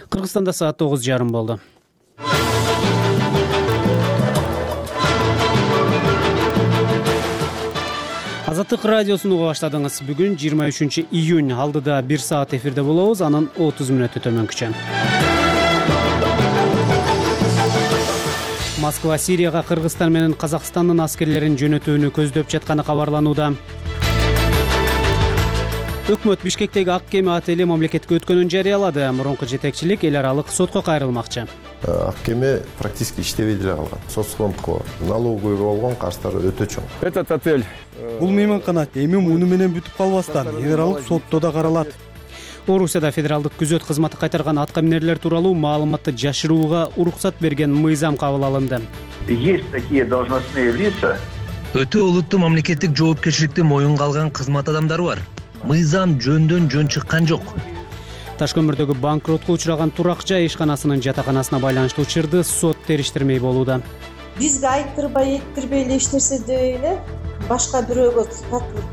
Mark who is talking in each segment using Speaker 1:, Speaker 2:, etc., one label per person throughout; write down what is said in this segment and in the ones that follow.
Speaker 1: Кыргызстанда саат 9:30 болду. Азаттык радиосун уга баштадыңыз. Бүгүн 23 июнь. Алдыда 1 саат эфирде болобуз. Анын 30 мүнөтү төмөнкүчө. Москва Сирияга Кыргызстан менен Казакстандын аскерлерин жөнөтүүнү көздөп жатканы кабарланууда. Өкмөт Бишкектеги ак кеме отели мамлекетке өткөнүн жарыялады. Мурунку жетекчилик эл аралык сотко кайрылмакчы.
Speaker 2: Ак кеме практически иштебей деле калган. Соцфондко налоговыйга болгон карыздары өтө чоң.
Speaker 3: Этот отель.
Speaker 4: Бул мейманкана эми муну менен бүтүп калбастан эл аралык сотто да каралат.
Speaker 1: Орусияда федералдык күзөт кызматы кайтарган атка минерлер тууралуу маалыматты жашырууга уруксат берген мыйзам кабыл алынды.
Speaker 5: Есть такие должностные лица.
Speaker 6: Өтө олуттуу мамлекеттик жоопкерчиликти моюнга алган кызмат адамдары бар. Мыйзам жөндөн жөн чыккан жок.
Speaker 1: Ташкөмүрдөгү банкротко учураган турак жай ишканасынын жатаканасына байланыштуу чырды сот териштирмей болууда.
Speaker 7: Бизге айттырбай эле эч нерсе дебей эле башка бирөөгө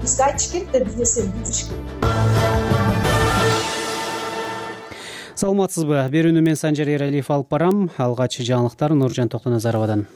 Speaker 7: бизге айтыш керек да бир нерсени билдириш керек.
Speaker 1: Саламатсызбы? Берүүнү мен Санжар Эралиев алып барам. Алгач жаңылыктар Нуржан Токтоназаровадан.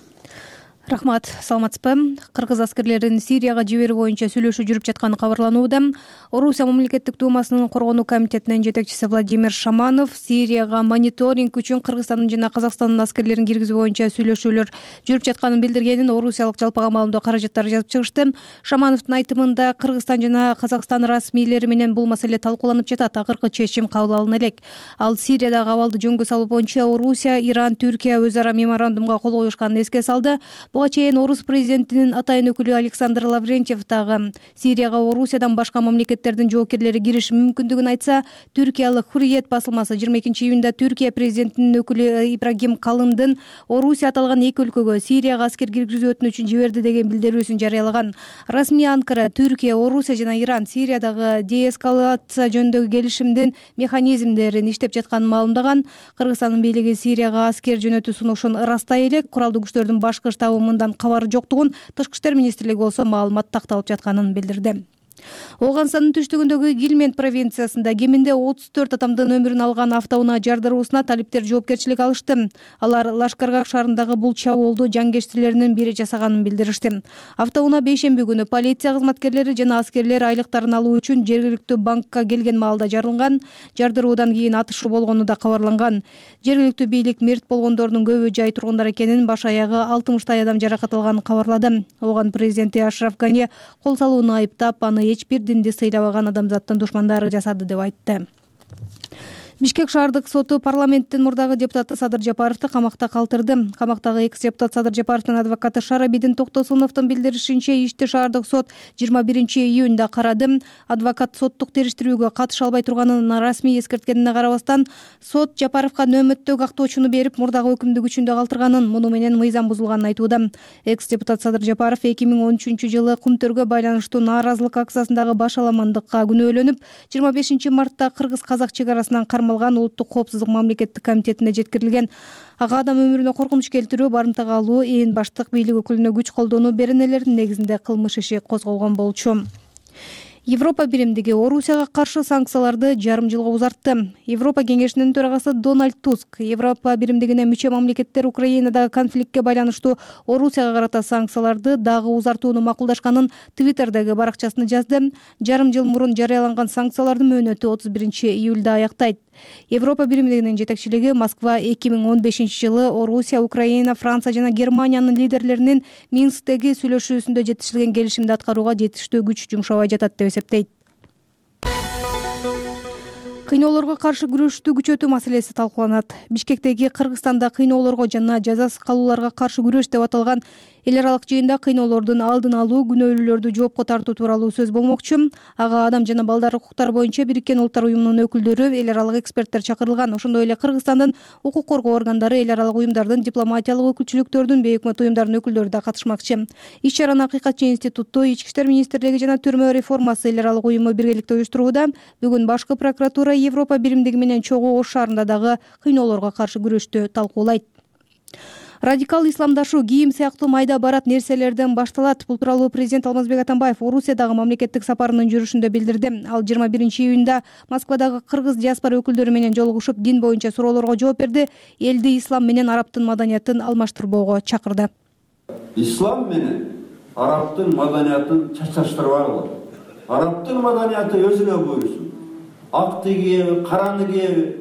Speaker 8: Рахмат, саламатсызбы? Кыргыз аскерлерин Сирияга жиберүү боюнча сүйлөшүү жүрүп жатканы кабарланууда. Орусия мамлекеттик думасынын коргонуу комитетинин жетекчиси Владимир Шаманов Сирияга мониторинг үчүн Кыргызстандын жана Казакстандын аскерлерин киргизүү боюнча сүйлөшүүлөр жүрүп жатканын билдиргенин орусиялык жалпыга маалымдоо каражаттары жазып чыгышты. Шамановдун айтымында Кыргызстан жана Казакстан расмийлери менен бул маселе талкууланып жатат. Акыркы чечим кабыл алына элек. Ал Сириядагы абалды жөнгө салуу боюнча Орусия, Иран, Түркия өз ара меморандумга кол коюшканын эске салды. Буга чейин орус президентинин атайын өкүлү Александр Лаврентьев дагы Сирияга Орусиядан башка мамлекеттердин жоокерлери кириши мүмкүндүгүн айтса, түркиялык Hurriyet басылмасы 22 июнда Түркия президентинин өкүлү Ибрагим Калындын Орусия аталган эки өлкөгө Сирияга аскер киргизүү өтүнүчүн жиберди деген билдирүүсүн жарыялаган. Расмий Анкара, Түркия, Орусия жана Иран Сириядагы деэскалация жөнүндөгү келишимдин механизмдерин иштеп жатканын маалымдаган. Кыргызстандын бийлиги Сирияга аскер жөнөтүү сунушун ырастай элек, куралдуу күчтөрдүн башкы штабы мындан кабары жоктугун, Тышкы иштер министрлиги болсо маалымат такталып жатканын билдирди. Ооганстандын түштүгүндөгү Гилмент провинциясында кеминде 34 адамдын өмүрүн алган автоунаа жардыруусуна талиптер жоопкерчилик алышты. Алар Лашкаргак шаарындагы бул чабуулду жангечтилеринин бири жасаганын билдиришти. Автоунаа бейшемби күнү полиция кызматкерлери жана аскерлер айлыктарын алуу үчүн жергиликтүү банкка келген маалда жарылган. Жардыруудан кийин атышуу болгону да кабарланган. Жергиликтүү бийлик мерт болгондордун көбү жай тургундар экенин, баш аягы 60 адам жаракат алганын кабарлады. Ооган президенти Ашраф Гани кол салууну айыптап, аны эч бир динди сыйлабаган адамзаттын душмандары жасады деп айтты. Бишкек шаардык соту парламенттин мурдагы депутаты Садыр Жапаровду камакта калтырды. Камактагы экс-депутат Садыр Жапаровдун адвокаты Шарабидин Токтосуновдун билдиришинче, ишти шаардык сот 21 июнда карады. Адвокат соттук териштирүүгө катыша албай турганын расмий эскерткенине карабастан, сот Жапаровго нөөмөттөгү актоочуну берип, мурдагы өкүмдү күчүндө калтырганын, муну менен мыйзам бузулганын айтууда. Экс-депутат Садыр Жапаров 2013 жылы Кумтөргө байланыштуу нааразылык акциясындагы баш аламандыкка күнөөлөнүп, 25 мартта Кыргыз-Казак чек арасынан Улуттук коопсуздук мамлекеттик комитетине жеткирилген. Ага адам өмүрүнө коркунуч келтирүү, барымтага алуу, ээн баштык бийлик өкүлүнө күч колдонуу беренелеринин негизинде кылмыш иши козголгон болчу. Европа биримдиги Орусияга каршы санкцияларды жарым жылга узартты. Европа кеңешинин төрагасы Дональд Туск Европа биримдигине мүчө мамлекеттер Украинадагы конфликтке байланыштуу Орусияга карата санкцияларды дагы узартууну макулдашканын Твиттердеги баракчасында жазды. Жарым жыл мурун жарыяланган санкциялардын мөөнөтү 31 июлда аяктайт. Европа биримдигинин жетекчилиги Москва 2015 жылы Орусия, Украина, Франция жана Германиянын лидерлеринин Минсктеги сүйлөшүүсүндө жетишилген келишимди аткарууга жетиштүү күч жумшабай жатат деп эсептейт. Кыйноолорго каршы күрөштү күчөтүү маселеси талкууланат. Бишкектеги Кыргызстанда кыйноолорго жана жазасыз калууларга каршы күрөш деп аталган эл аралык жыйында кыйноолордун алдын алуу, күнөөлүүлөрдү жоопко тартуу тууралуу сөз болмокчу. Ага адам жана балдар укуктары боюнча Бириккен Улуттар уюмунун өкүлдөрү, эл аралык эксперттер чакырылган. Ошондой эле Кыргызстандын укук коргоо органдары, эл аралык уюмдардын, дипломатиялык өкүлчүлүктөрдүн, бейөкмөт уюмдардын өкүлдөрү да катышмакчы. Иш-чараны Акыйкатчы институту, Ички иштер министрлиги жана Түрмө реформасы эл аралык уюму биргеликте уюштурууда. Бүгүн башкы прокуратура Европа биримдиги менен чогуу Ош шаарында дагы кыйноолорго каршы күрөштү талкуулайт. Радикал исламдашуу, кийим сыяктуу майда барат нерселерден башталат. Бул тууралуу президент Алмазбек Атамбаев Орусиядагы мамлекеттик сапарынын жүрүшүндө билдирди. Ал 21-июнда Москвадагы кыргыз диаспора өкүлдөрү менен жолугушуп, дин боюнча суроолорго жооп берди. Элди ислам менен арабтын маданиятын алмаштырбоого чакырды.
Speaker 3: Ислам менен арабтын маданиятын чачаштырбагыла. Арабтын маданияты өзүнө буйрсун. Акты кийеби, караны кийеби,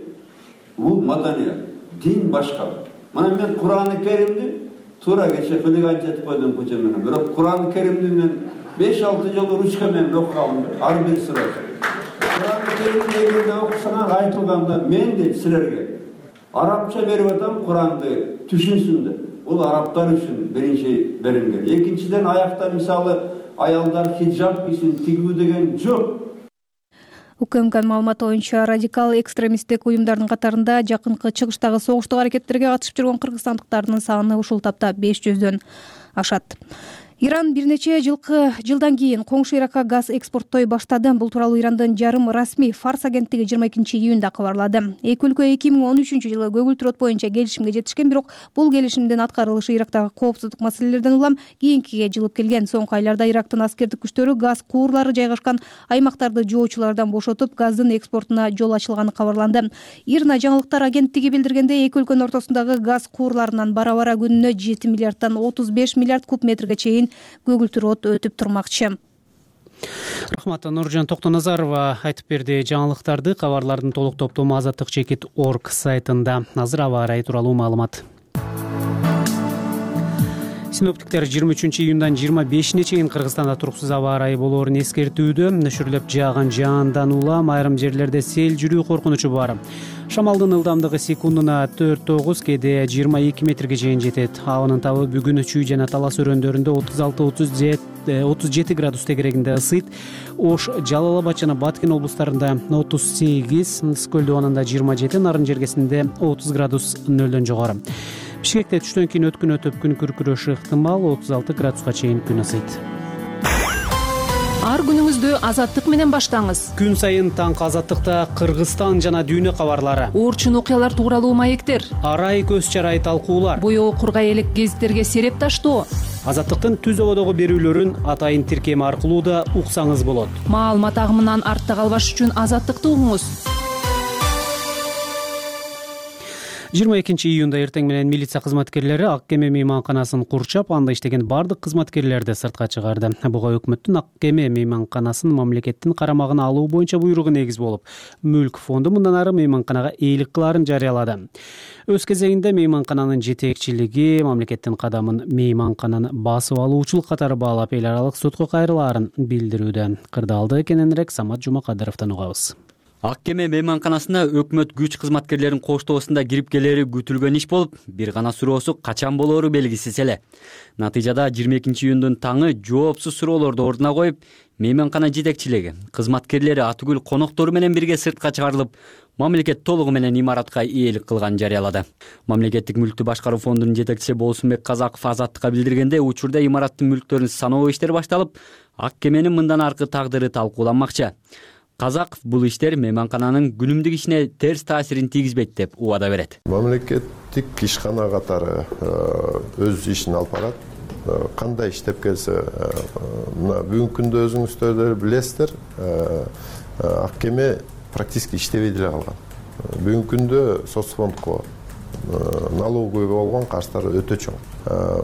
Speaker 3: бул маданият. Дин башка. Мына мен Кур'ан-ы Керимди туура кече кылыган жетип койдум көчө менен. Бирок Кур'ан-ы Керимди мен 5-6 жолу ручка менен окугам, ар бир сүрөсү. Кур'ан-ы Керимди эгерде окусаңар айтылганда мен де силерге арабча берип атам, Кур'анды түшүнсүндөр. Бул арабтар үчүн биринчи берилген. Экинчиден аякта мисалы аялдар хиджаб кийсин, тигүү деген жок.
Speaker 8: УКМКнын маалыматы боюнча радикал экстремисттик уюмдардын катарында жакынкы чыгыштагы согуштук аракеттерге катышып жүргөн кыргызстандыктардын саны ушул тапта 500дөн ашат. Иран бир нече жылдан кийин коңшу Иракка газ экспорттой баштады. Бул тууралуу Ирандын жарым расмий Фарс агенттиги 22-июнда кабарлады. Эки өлкө 2013-жылы көгүлтүр от боюнча келишимге жетишкен, бирок бул келишимдин аткарылышы Ирактагы коопсуздук маселелерден улам кийинкиге жылып келген. Соңку айларда Ирактын аскердик күчтөрү газ куурлары жайгашкан аймактарды жоочулардан бошотуп, газдын экспортуна жол ачылганы кабарланды. ИРНА жаңылыктар агенттиги билдиргендей, эки өлкөнүн ортосундагы газ куурларынан бара-бара күнүнө 7 миллиарддан 35 миллиард куб метрге чейин көгүлтүр от өтүп турмакчы.
Speaker 1: Рахмат. Нуржан Токтоназарова айтып берди жаңылыктарды. Кабарлардын толук топтому azattik.org сайтында. Азыр аба ырайы тууралуу маалымат. Синоптиктер 23-июндан 25-ине чейин Кыргызстанда туруксуз аба ырайы болоорун эскертүүдө. Нөшүрлөп жааган жаандан улам айрым жерлерде сел жүрүү коркунучу бар. Шамалдын ылдамдыгы секундуна 4-9, кээде 22 метрге чейин жетет. Абанын табы бүгүн Чүй жана Талас өрөөндөрүндө 36-37 градус тегерегинде ысыйт. Ош, Жалал Абад жана Баткен облустарында 38, Скөл дубанында 27, Нарын жергесинде 30 градус нөлдөн жогору. Бишкекте түштөн кийин өткүн өтүп күн күркүрөшү ыктымал, 36 градуска чейин күн ысыйт.
Speaker 9: Ар күнүңүздү Азаттык менен баштаңыз.
Speaker 1: Күн сайын таңкы Азаттыкта Кыргызстан жана дүйнө кабарлары,
Speaker 9: Орчун окуялар тууралуу маектер,
Speaker 1: арай көз чарай талкуулар,
Speaker 9: боёо кургай элек гезиттерге сереп таштоо.
Speaker 1: Азаттыктын түз ободогу берүүлөрүн атайын тиркем аркылуу да уксаңыз болот.
Speaker 9: Маалымат агымынан артта калбаш үчүн Азаттыкты угуңуз.
Speaker 1: 22-июнда эртең менен милиция кызматкерлери Ак Кеме мейманканасын курчап, анда иштеген бардык кызматкерлерди сыртка чыгарды. Буга өкмөттүн Ак Кеме мейманканасын мамлекеттин карамагына алуу боюнча буйругу негиз болуп, Мүлк фонду мындан ары мейманканага ээлик кылаарын жарыялады. Өз кезегинде мейманкананын жетекчилиги мамлекеттин кадамын мейманкананы басып алуучулук катары баалап, эл аралык сотко кайрылаарын билдирүүдө. Кырдаалды кененирээк Самат Жумакадыровдон угабыз.
Speaker 10: Ак Кеме мейманканасына өкмөт күч кызматкерлерин коштоосунда кирип келери күтүлгөн иш болуп, бир гана суроосу качан болоору белгисиз эле. Натыйжада 22-июндун таңы жоопсуз суроолорду ордуна коюп, мейманкана жетекчилиги, кызматкерлери Атүгүл коноктору менен бирге сыртка чыгарылып, мамлекет толугу менен имаратка ээлик кылганын жарыялады. Мамлекеттик мүлктү башкаруу фондунун жетекчиси Болсунбек Казаков Азаттыкка билдиргенде, учурда имараттын мүлктөрүн саноо иштери башталып, Ак Кеменин мындан аркы тагдыры талкууланмакчы. Казаков бул иштер мейманкананын күнүмдүк ишине терс таасирин тийгизбейт деп убада берет.
Speaker 2: Мамлекеттик ишкана катары өз ишин алып барат. Кандай иштеп келсе, мына бүгүнкү күндө өзүңүздөр да билесиздер, Ак Кеме практически иштебей деле калган. Бүгүнкү күндө соцфондко, налоговый болгон карыздары өтө чоң.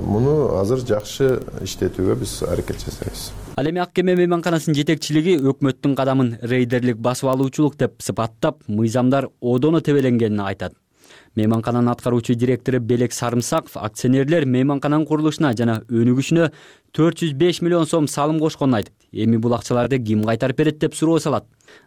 Speaker 2: Муну азыр жакшы иштетүүгө биз аракет жасайбыз.
Speaker 10: Ал эми Ак Кеме мейманканасынын жетекчилиги өкмөттүн кадамын рейдерлик басып алуучулук деп сыпаттап, мыйзамдар одоно тебеленгенин айтат. Мейманкананын аткаруучу директору Белек Сарымсаков акционерлер мейманкананын курулушуна жана өнүгүшүнө 405 миллион сом салым кошконун айтып, эми бул акчаларды ким кайтарып берет деп суроо салат.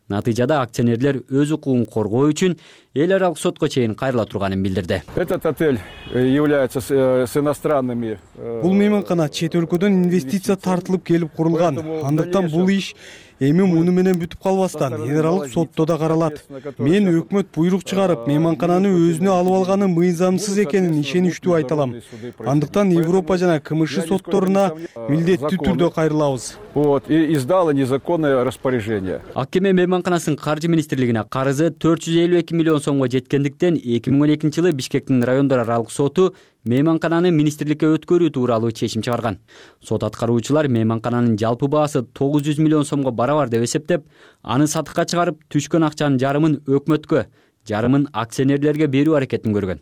Speaker 10: Натыйжада акционерлер өз укугун коргоо үчүн эл аралык сотко чейин кайрыла турганын билдирди.
Speaker 11: Этот отель является с иностранными.
Speaker 4: Бул мейманкана чет өлкөдөн инвестиция тартылып келип курулган. Андыктан бул иш эми муну менен бүтүп калбастан эл аралык сотто да каралат. Мен өкмөт буйрук чыгарып, мейманкананы өзүнө алып алганы мыйзамсыз экенин ишеничтүү айта алам. Андыктан Европа жана КМШ сотторуна милдеттүү түрдө кайрылабыз.
Speaker 11: Вот, и издала незаконное распоряжение.
Speaker 10: АКМ мейманканасынын каржы министрлигине карызы 452 миллион сомго жеткендиктен 2012 жылы Бишкектин райондор аралык соту мейманкананы министрликке өткөрүү тууралуу чечим чыгарган. Сот аткаруучулар мейманкананын жалпы баасы 900 миллион сомго барабар деп эсептеп, аны сатыкка чыгарып, түшкөн акчанын жарымын өкмөткө, жарымын акционерлерге берүү аракетин көргөн.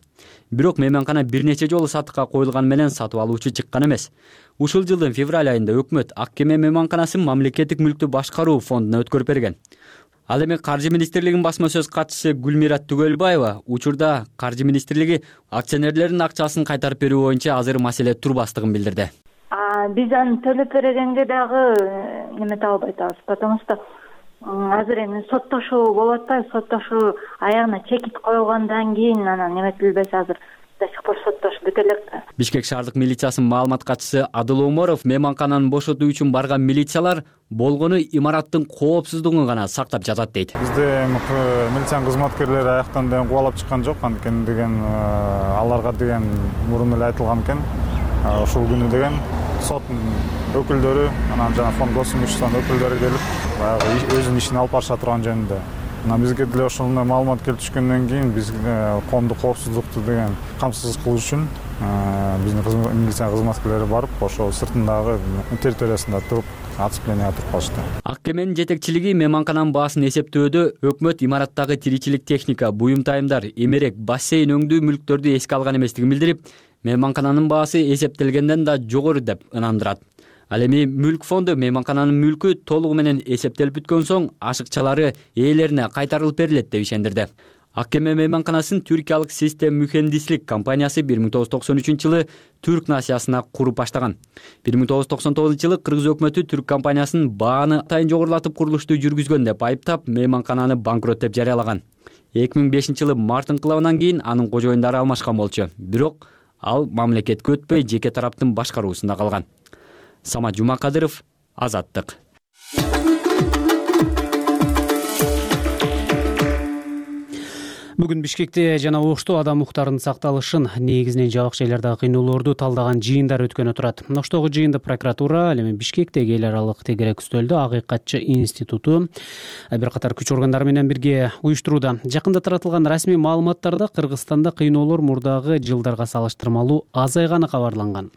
Speaker 10: Бирок мейманкана бир нече жолу сатыкка коюлган менен сатып алуучу чыккан эмес. Ушул жылдын февраль айында өкмөт АКМ мейманканасын мамлекеттик мүлктү башкаруу фондуна өткөрүп берген. Ал эми Каржы министрлигинин басма сөз катчысы Гүлмира Түгөлбаева учурда Каржы министрлиги акционерлердин акчасын кайтарып берүү боюнча азыр маселе турбастыгын билдирди.
Speaker 12: Биз аны төлөп бергенге дагы немете албай атабыз, потому что азыр эми соттошуу болуп атпайбы, соттошуу аягына чекит коюлгандан кийин анан неметилбесе азыр до сих пор соттошуу бүтө элек да.
Speaker 10: Бишкек шаардык милициясынын маалымат катчысы Адыл Оморов мейманкананы бошотуу үчүн барган милициялар болгону имараттын коопсуздугун гана сактап жатат дейт.
Speaker 13: Бизде милициянын кызматкерлери аяктан деген кубалап чыккан жок, анткени деген аларга деген мурун эле айтылган экен. Ушул күнү деген соттун өкүлдөрү, анан жана фонд гос имуществонун өкүлдөрү келип, баягы өзүнүн ишин алып барыша турган жөнүндө. Бизге деле ошондой маалымат келип түшкөндөн кийин биз коомдук коопсуздукту деген камсыз кылуу үчүн биздин милиция кызматкерлери барып, ошол сыртындагы территориясында туруп, оцеплениеге туруп калышты.
Speaker 10: АКМнин жетекчилиги мейманкананын баасын эсептөөдө өкмөт имараттагы тиричилик техника, буюм-тайымдар, эмерек, бассейн өңдүү мүлктөрдү эске алган эместигин билдирип, мейманкананын баасы эсептелгенден да жогору деп ынандырат. Ал эми мүлк фонду мейманкананын мүлкү толугу менен эсептелип бүткөн соң ашыкчалары ээлерине кайтарылып берилет деп ишендирди. АКМ мейманканасын түркиялык Систем Mühendislik компаниясы 1993 жылы Түрк нациясына куруп баштаган. 1999 жылы кыргыз өкмөтү түрк компаниясынын бааны атайын жогорулатып курулушту жүргүзгөн деп айыптап, мейманкананы банкрот деп жарыялаган. 2005 жылы март инкылабынан кийин анын кожоюндары алмашкан болчу. Бирок ал мамлекетке өтпөй жеке тараптын башкаруусунда калган. Самат Жумакадыров, Азаттык.
Speaker 1: Бүгүн Бишкекте жана Ошто адам укуктарынын сакталышын, негизинен жабык жайлардагы кыйноолорду талдаган жыйындар өткөн турат. Оштогу жыйынды прокуратура, ал эми Бишкектеги эл аралык тегерек үстөлдө Акыйкатчы институту бир катар күч органдары менен бирге уюштурууда. Жакында таратылган расмий маалыматтарда Кыргызстанда кыйноолор мурдагы жылдарга салыштырмалуу азайганы кабарланган.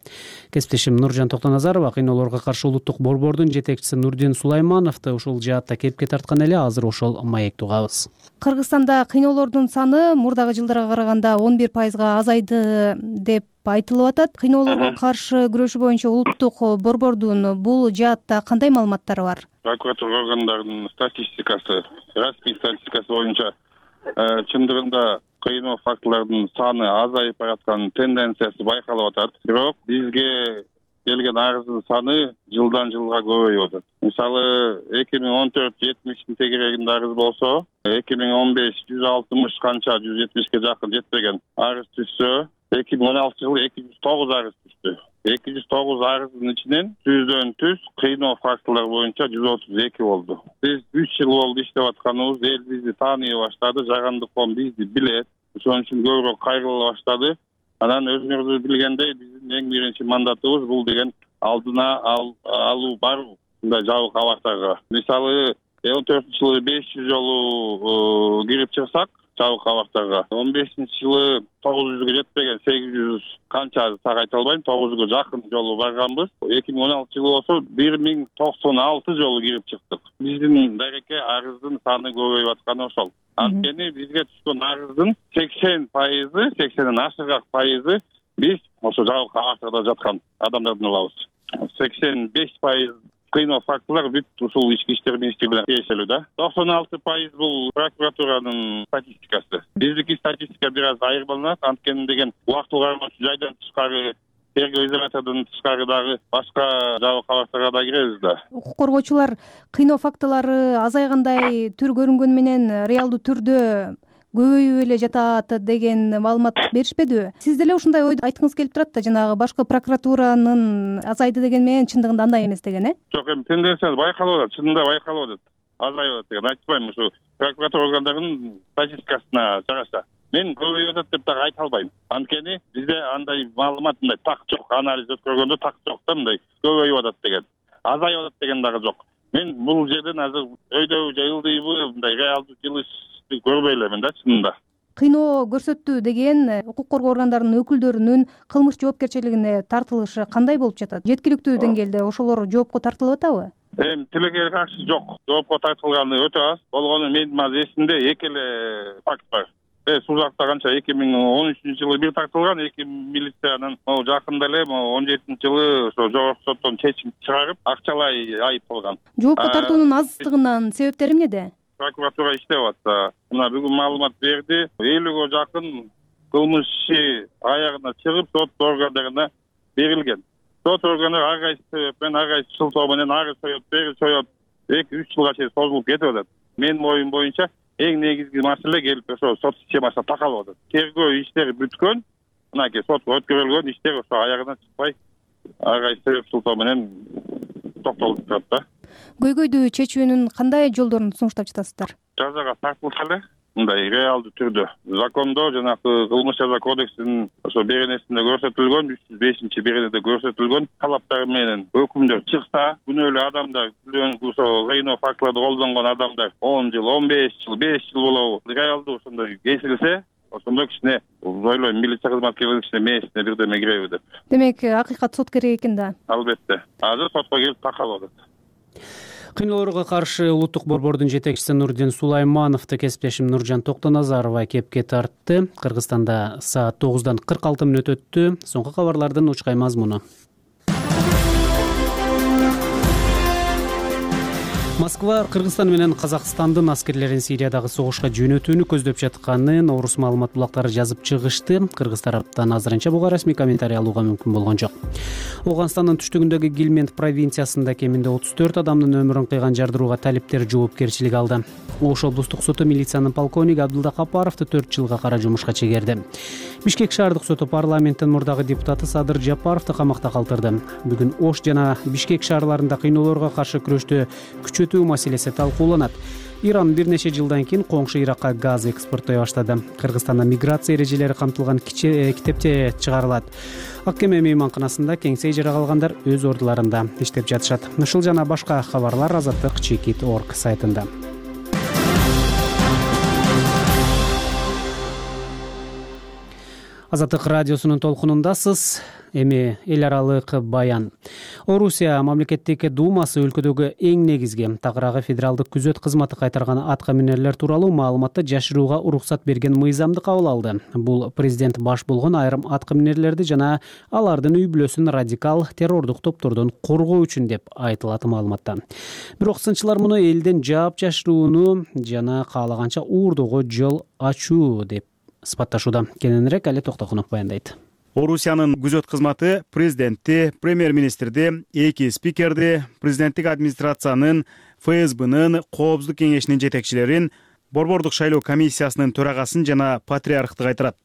Speaker 1: Кесиптешим Нуржан Токтоназарова кыйноолорго каршы улуттук борбордун жетекчиси Нурдин Сулаймановду ушул жаатта кепке тарткан эле, азыр ошол маекти угабыз.
Speaker 8: Кыргызстанда кыйноолордун саны мурдагы жылдарга караганда 11%га азайды деп айтылып атат. Кыйноолорго каршы күрөшүү боюнча улуттук борбордун бул жаатта кандай маалыматтары бар?
Speaker 14: Прокуратура органдарынын статистикасы, расмий статистикасы боюнча чындыгында кыйноо фактылардын саны азайып бараткан тенденциясы байкалып атат. Бирок бизге келген арыздын саны жылдан жылга көбөйүп атат. Мисалы 2014-70 тегерегинде арыз болсо, 2015 160 канча 170ке жакын жетпеген арыз түшсө, 2016 жылы 209 арыз түштү. 209 арыздын ичинен 100дөн түз кыйноо фактылар боюнча 132 болду. Биз 3 жыл болду иштеп атканыбыз, эл бизди тааный баштады, жагандык коом бизди билет. Ошон үчүн көбүрөөк кайрыла баштады. Анан өзүңүз билгендей, биздин эң биринчи мандатыбыз бул деген алдына алуу бар мындай жабык абактарга. Мисалы 14-жылы 500 жолу кирип чыксак жабык абактарга, 15-жылы 900гө жетпеген 800 канча так айта албайм, 900гө жакын жолу барганбыз. 2016 жылы болсо 1096 жолу кирип чыктык. Биздин дареке арыздын саны көбөйүп атканы ошол. Анткени бизге түшкөн арыздын 80%, 80ден ашыгак пайызы биз ошо жабык абактарда жаткан адамдардын алабыз. 85% кыйноо фактылар бүт ушул ички иштер министрлигине тиешелүү да. 96% бул прокуратуранын статистикасы. Биздики статистика бир аз айырмаланат, анткени деген убактылык кармоочу жайдан тышкары, тергөө изолятордон тышкары дагы башка жабык абактарга да киребиз да.
Speaker 8: Укук коргоочулар кыйноо фактылары азайгандай түр көрүнгөнү менен реалдуу түрдө көбөйүп эле жатат деген маалымат беришпедиби? Сиз деле ушундай ойду айткыңыз келип турат да, жанагы башкы прокуратуранын азайды деген менен чындыгында андай эмес деген,
Speaker 14: Жок, эми тенденция байкалып атат, чынында байкалып атат. Азайып атат деген айтпайм, ушу прокуратура органдарынын статистикасына жараша. Мен көбөйүп атат деп дагы айта албайм. Анткени бизде андай маалымат, мындай так жок. Анализ өткөргөндө так жок да, мындай көбөйүп атат деген, азайып атат деген дагы жок. Мен бул жерден азыр өйдөбү же ылдыйбы мындай реалдуу жылышты көрбөй элемин да, чынында.
Speaker 8: Кыйноо көрсөттү деген укук коргоо органдарынын өкүлдөрүнүн кылмыш жоопкерчилигине тартылышы кандай болуп жатат? Жеткиликтүү деңгээлде ошолор жоопко тартылып атабы?
Speaker 14: Тилекке каршы жок. Жоопко тартылганы өтө аз. Болгону менин азыр эсимде эки эле факт бар. Сузакта канча 2013-жылы бир тартылган, эки милициянын жакында эле 17-жылы ошо жогорку соттон чечим чыгарып, акчалай айып болгон.
Speaker 8: Жоопко тартуунун аздыгынын себептери эмнеде?
Speaker 14: Прокуратура иштеп атса, мына бүгүн маалымат берди. 50ге жакын кылмыш иши аягына чыгып, сот органдарына берилген. Сот органы ар кайсы себепмен, ар кайсы шылтоо менен ары соёт, бери соёт, 2-3 жылга чейин созулуп кетип атат. Менин оюм боюнча эң негизги маселе келип ошо сот системасына такалып атат. Тергөө иштери бүткөн, мынакей сотко өткөрүлгөн иштер ошо аягына чыкпай, ар кайсы себеп шылтоо менен токтолуп турат да.
Speaker 8: Көйгөйдү чечүүнүн кандай жолдорун сунуштап жатасыздар?
Speaker 14: Жазага тартылса эле, мындай реалдуу түрдө закондо жанагы кылмыш жаза кодексинин ошо беренесинде көрсөтүлгөн 305-беренеде көрсөтүлгөн талаптар менен өкүмдөр чыкса, күнөөлүү адамдар, ошо кыйноо фактыларды колдонгон адамдар 10 жыл, 15 жыл, 5 жыл болобу, реалдуу ошондой кесилсе, ошондо кичине ойлойм, милиция кызматкерлери кичине мээсине бирдеме киреби деп.
Speaker 8: Демек, акыйкат сот керек экен да.
Speaker 14: Албетте. Азыр сотко келип такалып атат.
Speaker 1: Кыйноолорго каршы улуттук борбордун жетекчиси Нурдин Сулаймановду кесиптешим Нуржан Токтоназарова кепке тартты. Кыргызстанда саат 9:46 өтөттү. Соңку кабарлардын учкай мазмуну. Москва Кыргызстан менен Казакстандын аскерлерин Сириядагы согушка жөнөтүүнү көздөп жатканын орус маалымат булактары жазып чыгышты. Кыргыз тараптан азырынча буга расмий комментарий алууга мүмкүн болгон жок. Ооганстандын түштүгүндөгү Гилмент провинциясында кеминде 34 адамдын өмүрүн кыйган жардырууга талиптер жоопкерчилик алды. Ош облустук соту милициянын полковниги Абдулда Капаровду 4 жылга кара жумушка чегерди. Бишкек шаардык соту парламенттин мурдагы депутаты Садыр Жапаровду камакта калтырды. Бүгүн Ош жана Бишкек шаарларында кыйноолорго каршы күрөштү күчөтүү маселеси талкууланат. Иран бир нече жылдан кийин коңшу Иракка газ экспорттой баштады. Кыргызстанда миграция эрежелери камтылган китепче чыгарылат. Ак кеме мейманканасында кеңсей жара калгандар өз ордуларында иштеп жатышат. Ушул жана башка кабарлар Азаттык.org сайтында. Азаттык радиосунун толкунундасыз. Эми эл аралык баян. Орусия мамлекеттик думасы өлкөдөгү эң негизги тагыраагы федералдык күзөт кызматы кайтарган атка минерлер тууралуу маалыматты жашырууга уруксат берген мыйзамды кабыл алды. Бул президент баш болгон айрым атка минерлерди жана алардын үй бүлөсүн радикал террордук топтордон коргоо үчүн деп айтылат маалыматта. Бирок сынчылар муну элден жаап жашырууну жана каалаганча уурдоого жол ачуу деп сыпатташууда. Кененирээк Али Токтокунов баяндайт.
Speaker 15: Орусиянын күзөт кызматы президентти, премьер-министрди, эки спикерди, президенттик администрациянын, ФСБнын, Коопсуздук кеңешинин жетекчилерин, борбордук шайлоо комиссиясынын төрагасын жана патриархты кайтарат.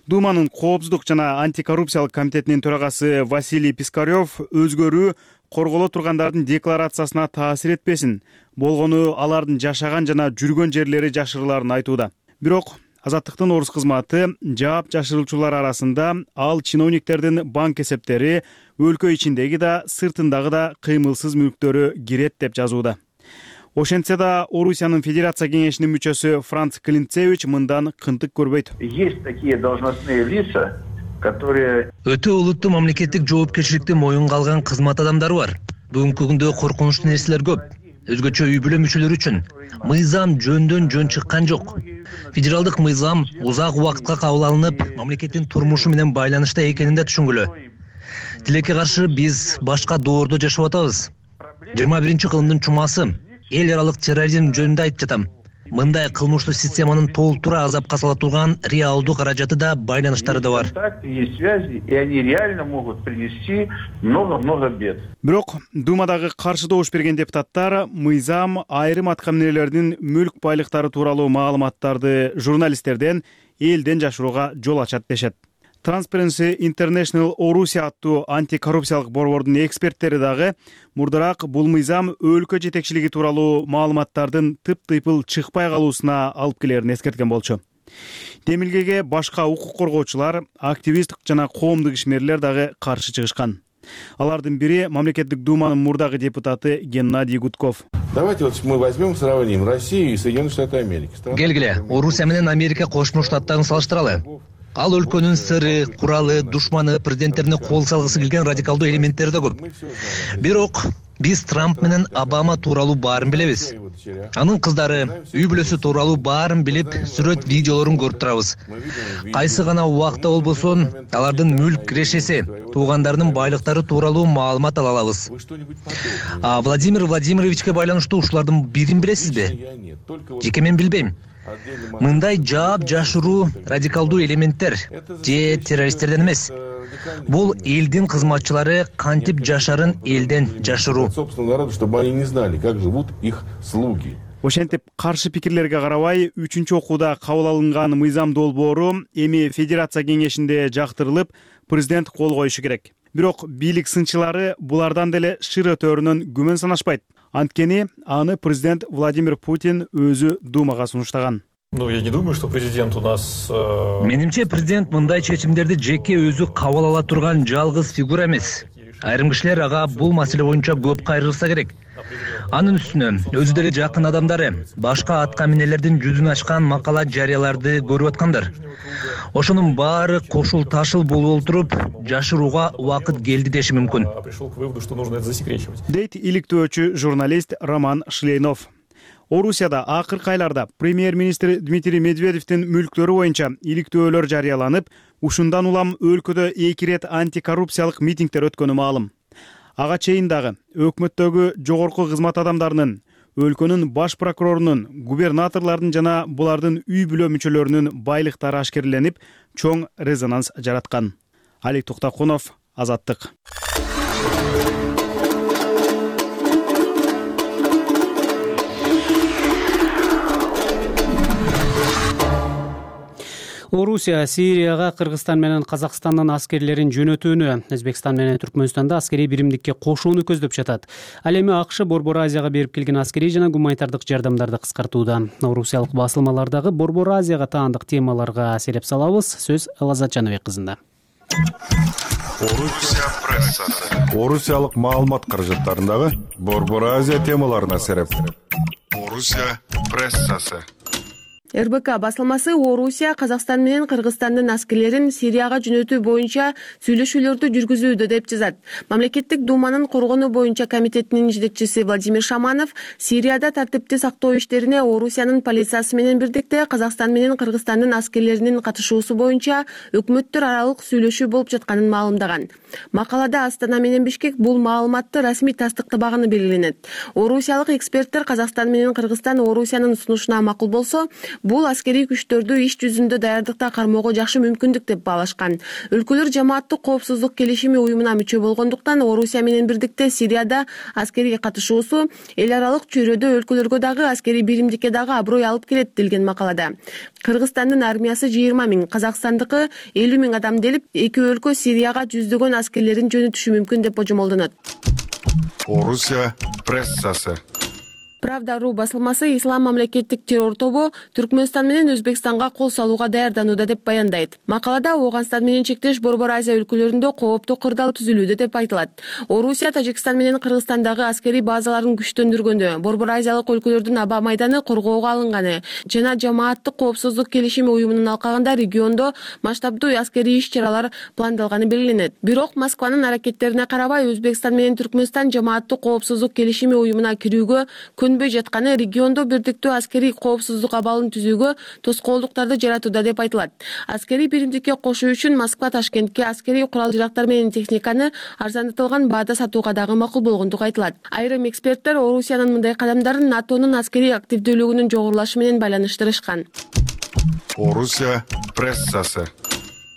Speaker 15: Думанын Коопсуздук жана антикоррупциялык комитетинин төрагасы Василий Пискарев өзгөрүү корголо тургандардын декларациясына таасир этпесин, болгону алардын жашаган жана жүргөн жерлери жашырыларын айтууда. Бирок Азаттыктын орус кызматы жаап жашырылчулар арасында ал чиновниктердин банк эсептери, өлкө ичиндеги да, сыртындагы да кыймылсыз мүлктөрү кирет деп жазууда. Ошентсе да Орусиянын Федерация кеңешинин мүчөсү Франц Клинцевич мындан кынтык көрбөйт.
Speaker 5: Есть такие должностные лица, которые...
Speaker 6: Өтө олуттуу мамлекеттик жоопкерчиликти моюнга алган кызмат адамдары бар. Бүгүнкү күндө коркунучтуу нерселер көп. Өзгөчө үй бүлө мүчөлөрү үчүн мыйзам жөн чыккан жок. Федералдык мыйзам узак убакытка кабыл алынып, мамлекеттин турмушу менен байланышта экенин да түшүнгүлө. Тилекке каршы биз башка доордо жашап атабыз. 21-кылымдын чумасы эл аралык терроризм жөнүндө айтып жатам. Мындай кылмыштуу системанын толтура азапка сала турган реалдуу каражаты да, байланыштары да бар.
Speaker 15: Бирок Думадагы каршы добуш берген депутаттар мыйзам айрым атка минерлердин мүлк байлыктары тууралуу маалыматтарды журналисттерден элден жашырууга жол ачат дешет. Transparency International Орусия аттуу антикоррупциялык борбордун эксперттери дагы мурдараак бул мыйзам өлкө жетекчилиги тууралуу маалыматтардын тыптыйпыл чыкпай калуусуна алып келерин эскерткен болчу. Демилгеге башка укук коргоочулар, активист жана коомдук ишмерлер дагы каршы чыгышкан. Алардын бири мамлекеттик думанын мурдагы депутаты Геннадий Гудков.
Speaker 16: Давайте вот мы возьмем, сравним Россию и Соединенные Штаты Америки.
Speaker 6: Келгиле, Орусия менен Америка Кошмо Штаттарын салыштыралы. Ал өлкөнүн сыры, куралы, душманы, президенттерине кол салгысы келген радикалдуу элементтери да көп. Бирок биз Трамп менен Обама тууралуу баарын билебиз. Анын кыздары, үй бүлөсү тууралуу баарын билип, сүрөт видеолорун көрүп турабыз. Кайсы гана убакта болбосун, алардын мүлк кирешеси, туугандарынын байлыктары тууралуу маалымат ала алабыз. Владимир Владимировичке байланыштуу ушулардын бирин билесизби? Жеке мен билбейм. Мындай жаап жашыруу радикалдуу элементтер же террористтерден эмес. Бул элдин кызматчылары кантип жашарын элден жашыруу.
Speaker 16: Собственно, народу, чтобы они не знали, как живут их слуги.
Speaker 15: Ошентип каршы пикирлерге карабай, 3-чү окууда кабыл алынган мыйзам долбоору эми Федерация кеңешинде жактырылып, президент кол коюшу керек. Бирок бийлик сынчылары булардан деле шыра төрүнөн күмөн санашпайт. Анткени аны президент Владимир Путин өзү Думага сунуштаган.
Speaker 17: Я не думаю, что президент у нас...
Speaker 6: Менимче президент мындай чечимдерди жеке өзү кабыл ала турган жалгыз фигура эмес. Айрым кишилер ага бул маселе боюнча көп кайрылса керек. Анын үстүнө өзү деле жакын адамдары башка атка минелердин жүзүн ачкан макала жарыяларды көрүп аткандар. Ошонун баары кошул ташыл болуп олтуруп, жашырууга убакыт келди деши мүмкүн.
Speaker 15: Дейт иликтөөчү журналист Роман Шлейнов. Орусияда акыркы айларда премьер-министр Дмитрий Медведевдин мүлктөрү боюнча иликтөөлөр жарыяланып, ушундан улам өлкөдө 2 рет антикоррупциялык митингдер өткөнү маалым. Ага чейин дагы өкмөттөгү жогорку кызмат адамдарынын, өлкөнүн баш прокурорунун, губернаторлордун жана булардын үй бүлө мүчөлөрүнүн байлыктары ашкереленип, чоң резонанс жараткан. Алик Токтокунов, Азаттык.
Speaker 1: Орусия Сирияга Кыргызстан менен Казакстандын аскерлерин жөнөтүүнү, Өзбекстан менен Түркмөнстанда аскерий биримдикке кошууну көздөп жатат. Ал эми АКШ Борбор Азияга берип келген аскерий жана гуманитардык жардамдарды кыскартууда. Орусиялык басылмалардагы Борбор Азияга таандык темаларга сереп салабыз. Сөз Элазат Жаныбек кызында.
Speaker 18: Орусия прессасы. Орусиялык маалымат каражаттарындагы Борбор Азия темаларына сереп. Орусия прессасы.
Speaker 19: РБК басылмасы Орусия Казакстан менен Кыргызстандын аскерлерин Сирияга жөнөтүү боюнча сүйлөшүүлөрдү жүргүзүүдө деп жазат. Мамлекеттик Думанын коргонуу боюнча комитетинин жетекчиси Владимир Шаманов Сирияда тартипти сактоо иштерине Орусиянын полициясы менен бирдикте Казакстан менен Кыргызстандын аскерлеринин катышуусу боюнча өкмөттөр аралык сүйлөшүү болуп жатканын маалымдаган. Макалада Астана менен Бишкек бул маалыматты расмий тастыктабаганы белгиленет. Орусиялык эксперттер Казакстан менен Кыргызстан Орусиянын сунушуна макул болсо, бул аскерий күчтөрдү иш жүзүндө даярдыкта кармоого жакшы мүмкүндүк деп баалашкан. Өлкөлөр жамааттык коопсуздук келишими уюмуна мүчө болгондуктан Орусия менен бирдикте Сирияда аскерий катышуусу эл аралык чөйрөдө өлкөлөргө дагы аскерий биримдикке дагы аброй алып келет делген макалада. Кыргызстандын армиясы 20 000, Казакстандыкы 50 000 адам делип, эки өлкө Сирияга жүздөгөн аскерлерин жөнөтүшү мүмкүн деп божомолдонот.
Speaker 18: Орусия прессасы.
Speaker 19: Правда.ру басылмасы Ислам мамлекеттик террор тобу Түркмөнстан менен Өзбекстанга кол салууга даярданууда деп баяндайт. Макалада Ооганстан менен чектеш Борбор Азия өлкөлөрүндө кооптуу кырдаал түзүлүүдө деп айтылат. Орусия Тажикстан менен Кыргызстандагы аскерий базаларын күчтөндүргөндө, Борбор Азиялык өлкөлөрдүн аба майданы коргоого алынганы жана жамааттык коопсуздук келишими уюмунун алкагында региондо масштабдуу аскерий иш-чаралар пландалганы белгиленет. Бирок Москванын аракеттерине карабай Өзбекстан менен Түркмөнстан жамааттык коопсуздук келишими уюмуна кирүүгө көнбөй жатканы региондо бирдиктүү аскерий коопсуздук абалын түзүүгө тоскоолдуктарды жаратууда деп айтылат. Аскерий биримдикке кошуу үчүн Москва Ташкентке аскерий курал-жарактар менен техниканы арзандатылган баада сатууга дагы макул болгондугу айтылат. Айрым эксперттер Орусиянын мындай кадамдарын НАТОнун аскерий активдүүлүгүнүн жогорулашы менен байланыштырышкан.
Speaker 18: Орусия прессасы.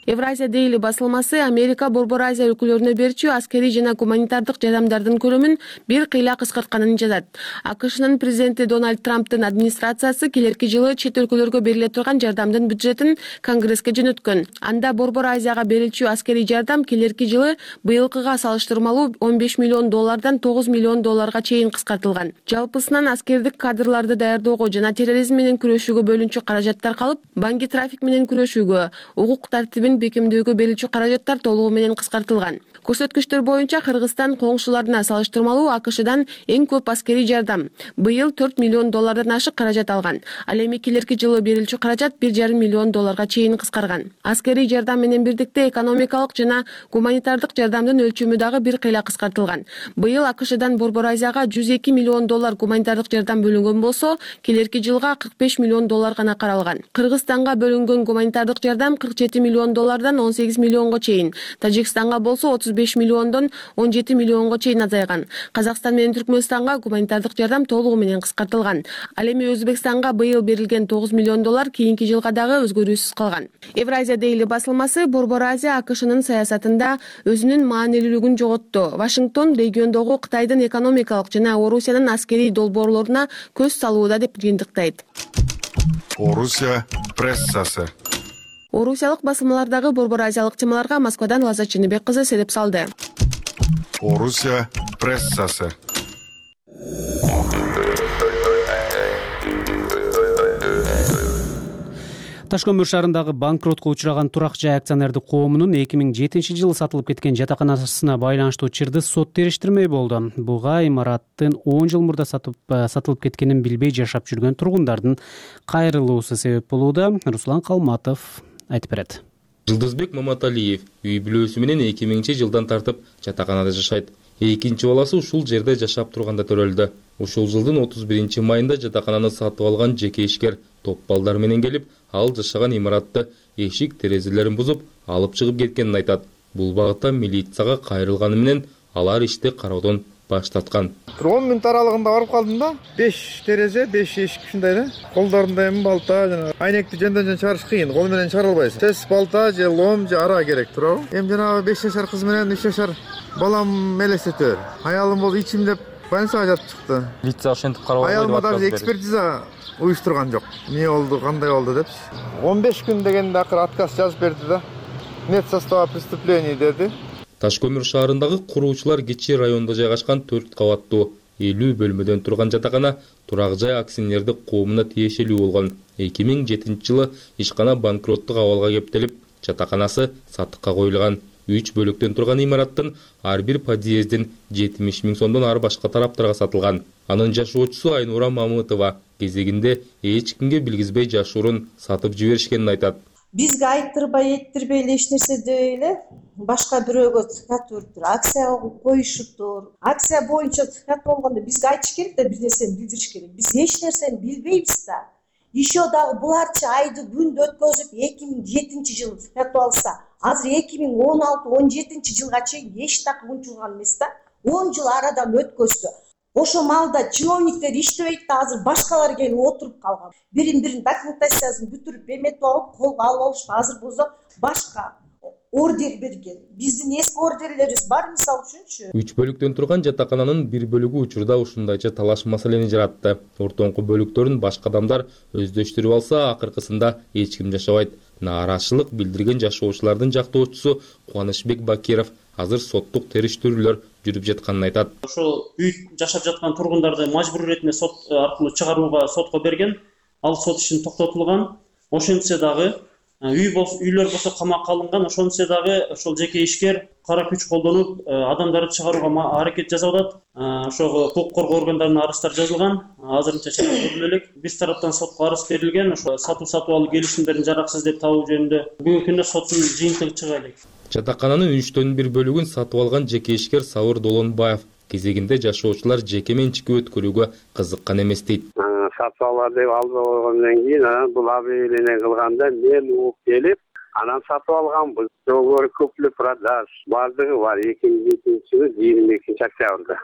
Speaker 19: Евразия Daily басылмасы Америка Борбор Азия өлкөлөрүнө берчү аскерий жана гуманитардык жардамдардын көлөмүн бир кыйла кыскартканын жазат. АКШнын президенти Дональд Трамптын администрациясы келерки жылы чет өлкөлөргө бериле турган жардамдын бюджетин Конгресске жөнөткөн. Анда Борбор Азияга берилчү аскерий жардам келерки жылы быйылкыга салыштырмалуу $15 миллион $9 миллион чейин кыскартылган. Жалпысынан аскердик кадрларды даярдоого жана терроризм менен күрөшүүгө бөлүнчү каражаттар калып, банки трафик менен күрөшүүгө, укук тартибин бекемдөөгө берилчү каражаттар толугу менен кыскартылган. Көрсөткүчтөр боюнча Кыргызстан коңшуларына салыштырмалуу АКШдан эң көп аскерий жардам быйыл $4 миллион ашык каражат алган. Ал эми келерки жылы берилчү каражат $1,5 миллион чейин кыскарган. Аскерий жардам менен бирдикте экономикалык жана гуманитардык жардамдын өлчөмү дагы бир кыйла кыскартылган. Быйыл АКШдан Борбор Азияга $102 миллион гуманитардык жардам бөлүнгөн болсо, келерки жылга $45 миллион гана каралган. Кыргызстанга бөлүнгөн гуманитардык жардам $47 миллион $18 миллионго чейин, Тажикстанга болсо $35 миллиондон $17 миллионго чейин азайган. Казакстан менен Түркмөнстанга гуманитардык жардам толугу менен кыскартылган. Ал эми Өзбекстанга быйыл берилген $9 миллион кийинки жылга дагы өзгөрүүсүз калган. Евразия Daily басылмасы Борбор Азия АКШнын саясатында өзүнүн маанилүүлүгүн жоготту. Вашингтон региондогу Кытайдын экономикалык жана Орусиянын аскерий долбоорлоруна көз салууда деп жыйынтыктайт.
Speaker 18: Орусия прессасы.
Speaker 19: Орусиялык басылмалардагы Борбор Азиялык темаларга Москвадан Лаззат Чыныбек кызы сереп салды.
Speaker 18: Орусия прессасы.
Speaker 1: Ташкөмүр шаарындагы банкротко учураган турак жай акционердик коомунун 2007-жылы сатылып кеткен жатаканасына байланыштуу чырды сот териштирмей болду. Буга имараттын 10 жыл мурда сатылып кеткенин билбей жашап жүргөн тургундардын кайрылуусу себеп болууда. Руслан Калматов айтып берет.
Speaker 20: Жылдызбек Маматалиев үй бүлөсү менен 2000-жылдан тартып жатаканада жашайт. Экинчи баласы ушул жерде жашап турганда төрөлдү. Ушул жылдын 31-майында жатакананы сатып алган жеке ишкер топ балдар менен келип, ал жашаган имаратты эшик терезелерин бузуп, алып чыгып кеткенин айтат. Бул багытта милицияга кайрылганы менен алар ишти кароодон баш тарткан.
Speaker 21: 10 мүнөт аралыгында барып калдым да. 5 терезе, 5 эшик ушундай да. Колдорунда эми балта жана айнекти жөндөн чыгарыш кыйын. Кол менен чыгара албайсың. Тез балта же лом же ара керек туурабы? Эми жанагы 5 жашар кыз менен 3 жашар балам элестетер. Аялым болду ичимдеп больницага жатып чыкты.
Speaker 20: Милиция ошентип карабай
Speaker 21: Аялыма даже экспертиза уюштурган жок. Эмне болду, кандай болду деп. 15 күн дегенде акыр отказ жазып берди да. Нет состава преступлений деди.
Speaker 20: Ташкөмүр шаарындагы куруучулар кичи райондо жайгашкан 4 кабаттуу 50 бөлмөдөн турган жатакана турак жай акционердик коомуна тиешелүү болгон. 2007-жылы ишкана банкроттук абалга кептелип, жатаканасы сатыкка коюлган. 3 бөлүктөн турган имараттын ар бир подъездин 70 миң сомдон ар башка тараптарга сатылган. Анын жашоочусу Айнура Мамытова кезегинде эч кимге билгизбей жашоорун сатып жиберишкенин айтат.
Speaker 7: Бизге айттырбай эттирбей эч нерсе дебей эле башка бирөөгө сатып акция коюшуптур. Акция боюнча сатып болгондо бизге айтыш керек да, бир нерсени билдириш керек. Биз эч нерсени билбейбиз да. Еще дагы буларчы айды күндү өткөзүп 2007-жылы сатып алса, азыр 2016-17 жылга чейин эч так унчулган эмес да. 10 жыл арадан өткөздү. Ошо маалда чиновниктер иштебейт да, азыр башкалар келип отуруп калган. Бирин документациясын бүтүрүп эметип алып, колго алып алышты. Азыр болсо башка ордер берген. Биздин эски ордерлерибиз бар, мисалы үчүнчү.
Speaker 20: 3 бөлүктөн турган жатакананын бир бөлүгү учурда ушундайча талаш маселени жаратты. Ортоңку бөлүктөрүн башка адамдар өздөштүрүп алса, акыркысында эч ким жашабайт. Нааразычылык билдирген жашоочулардын жактоочусу Кубанычбек Бакиров азыр соттук териштирүүлөр жүрүп жатканын айтат.
Speaker 22: Ошол үй жашап жаткан тургундарды мажбур иретинде сот аркылуу чыгарууга сотко берген. Ал сот ишин токтотулган. Ошентсе дагы үйлөр болсо камакка алынган. Ошентсе дагы ошол жеке ишкер кара күч колдонуп адамдарды чыгарууга аракет жасап атат. Ошого укук коргоо органдарына арыздар жазылган. Азырынча чара көрүлө элек. Биз тараптан сотко арыз берилген. Ошо сатып алуу келишимдерин жараксыз деп табуу жөнүндө бүгүнкү күндө соттун жыйынтыгы чыга элек.
Speaker 20: Жатакананын 3/1 бөлүгүн сатып алган жеке ишкер Сабыр Долонбаев кезегинде жашоочулар жеке менчикке өткөрүүгө кызыккан эмес дейт.
Speaker 23: Сатып алар деп алып койгондон кийин бул объявление кылганда мен угуп келип
Speaker 3: Анан сатып алганбыз. Договор купли продаж баардыгы бар. 22 октябрда.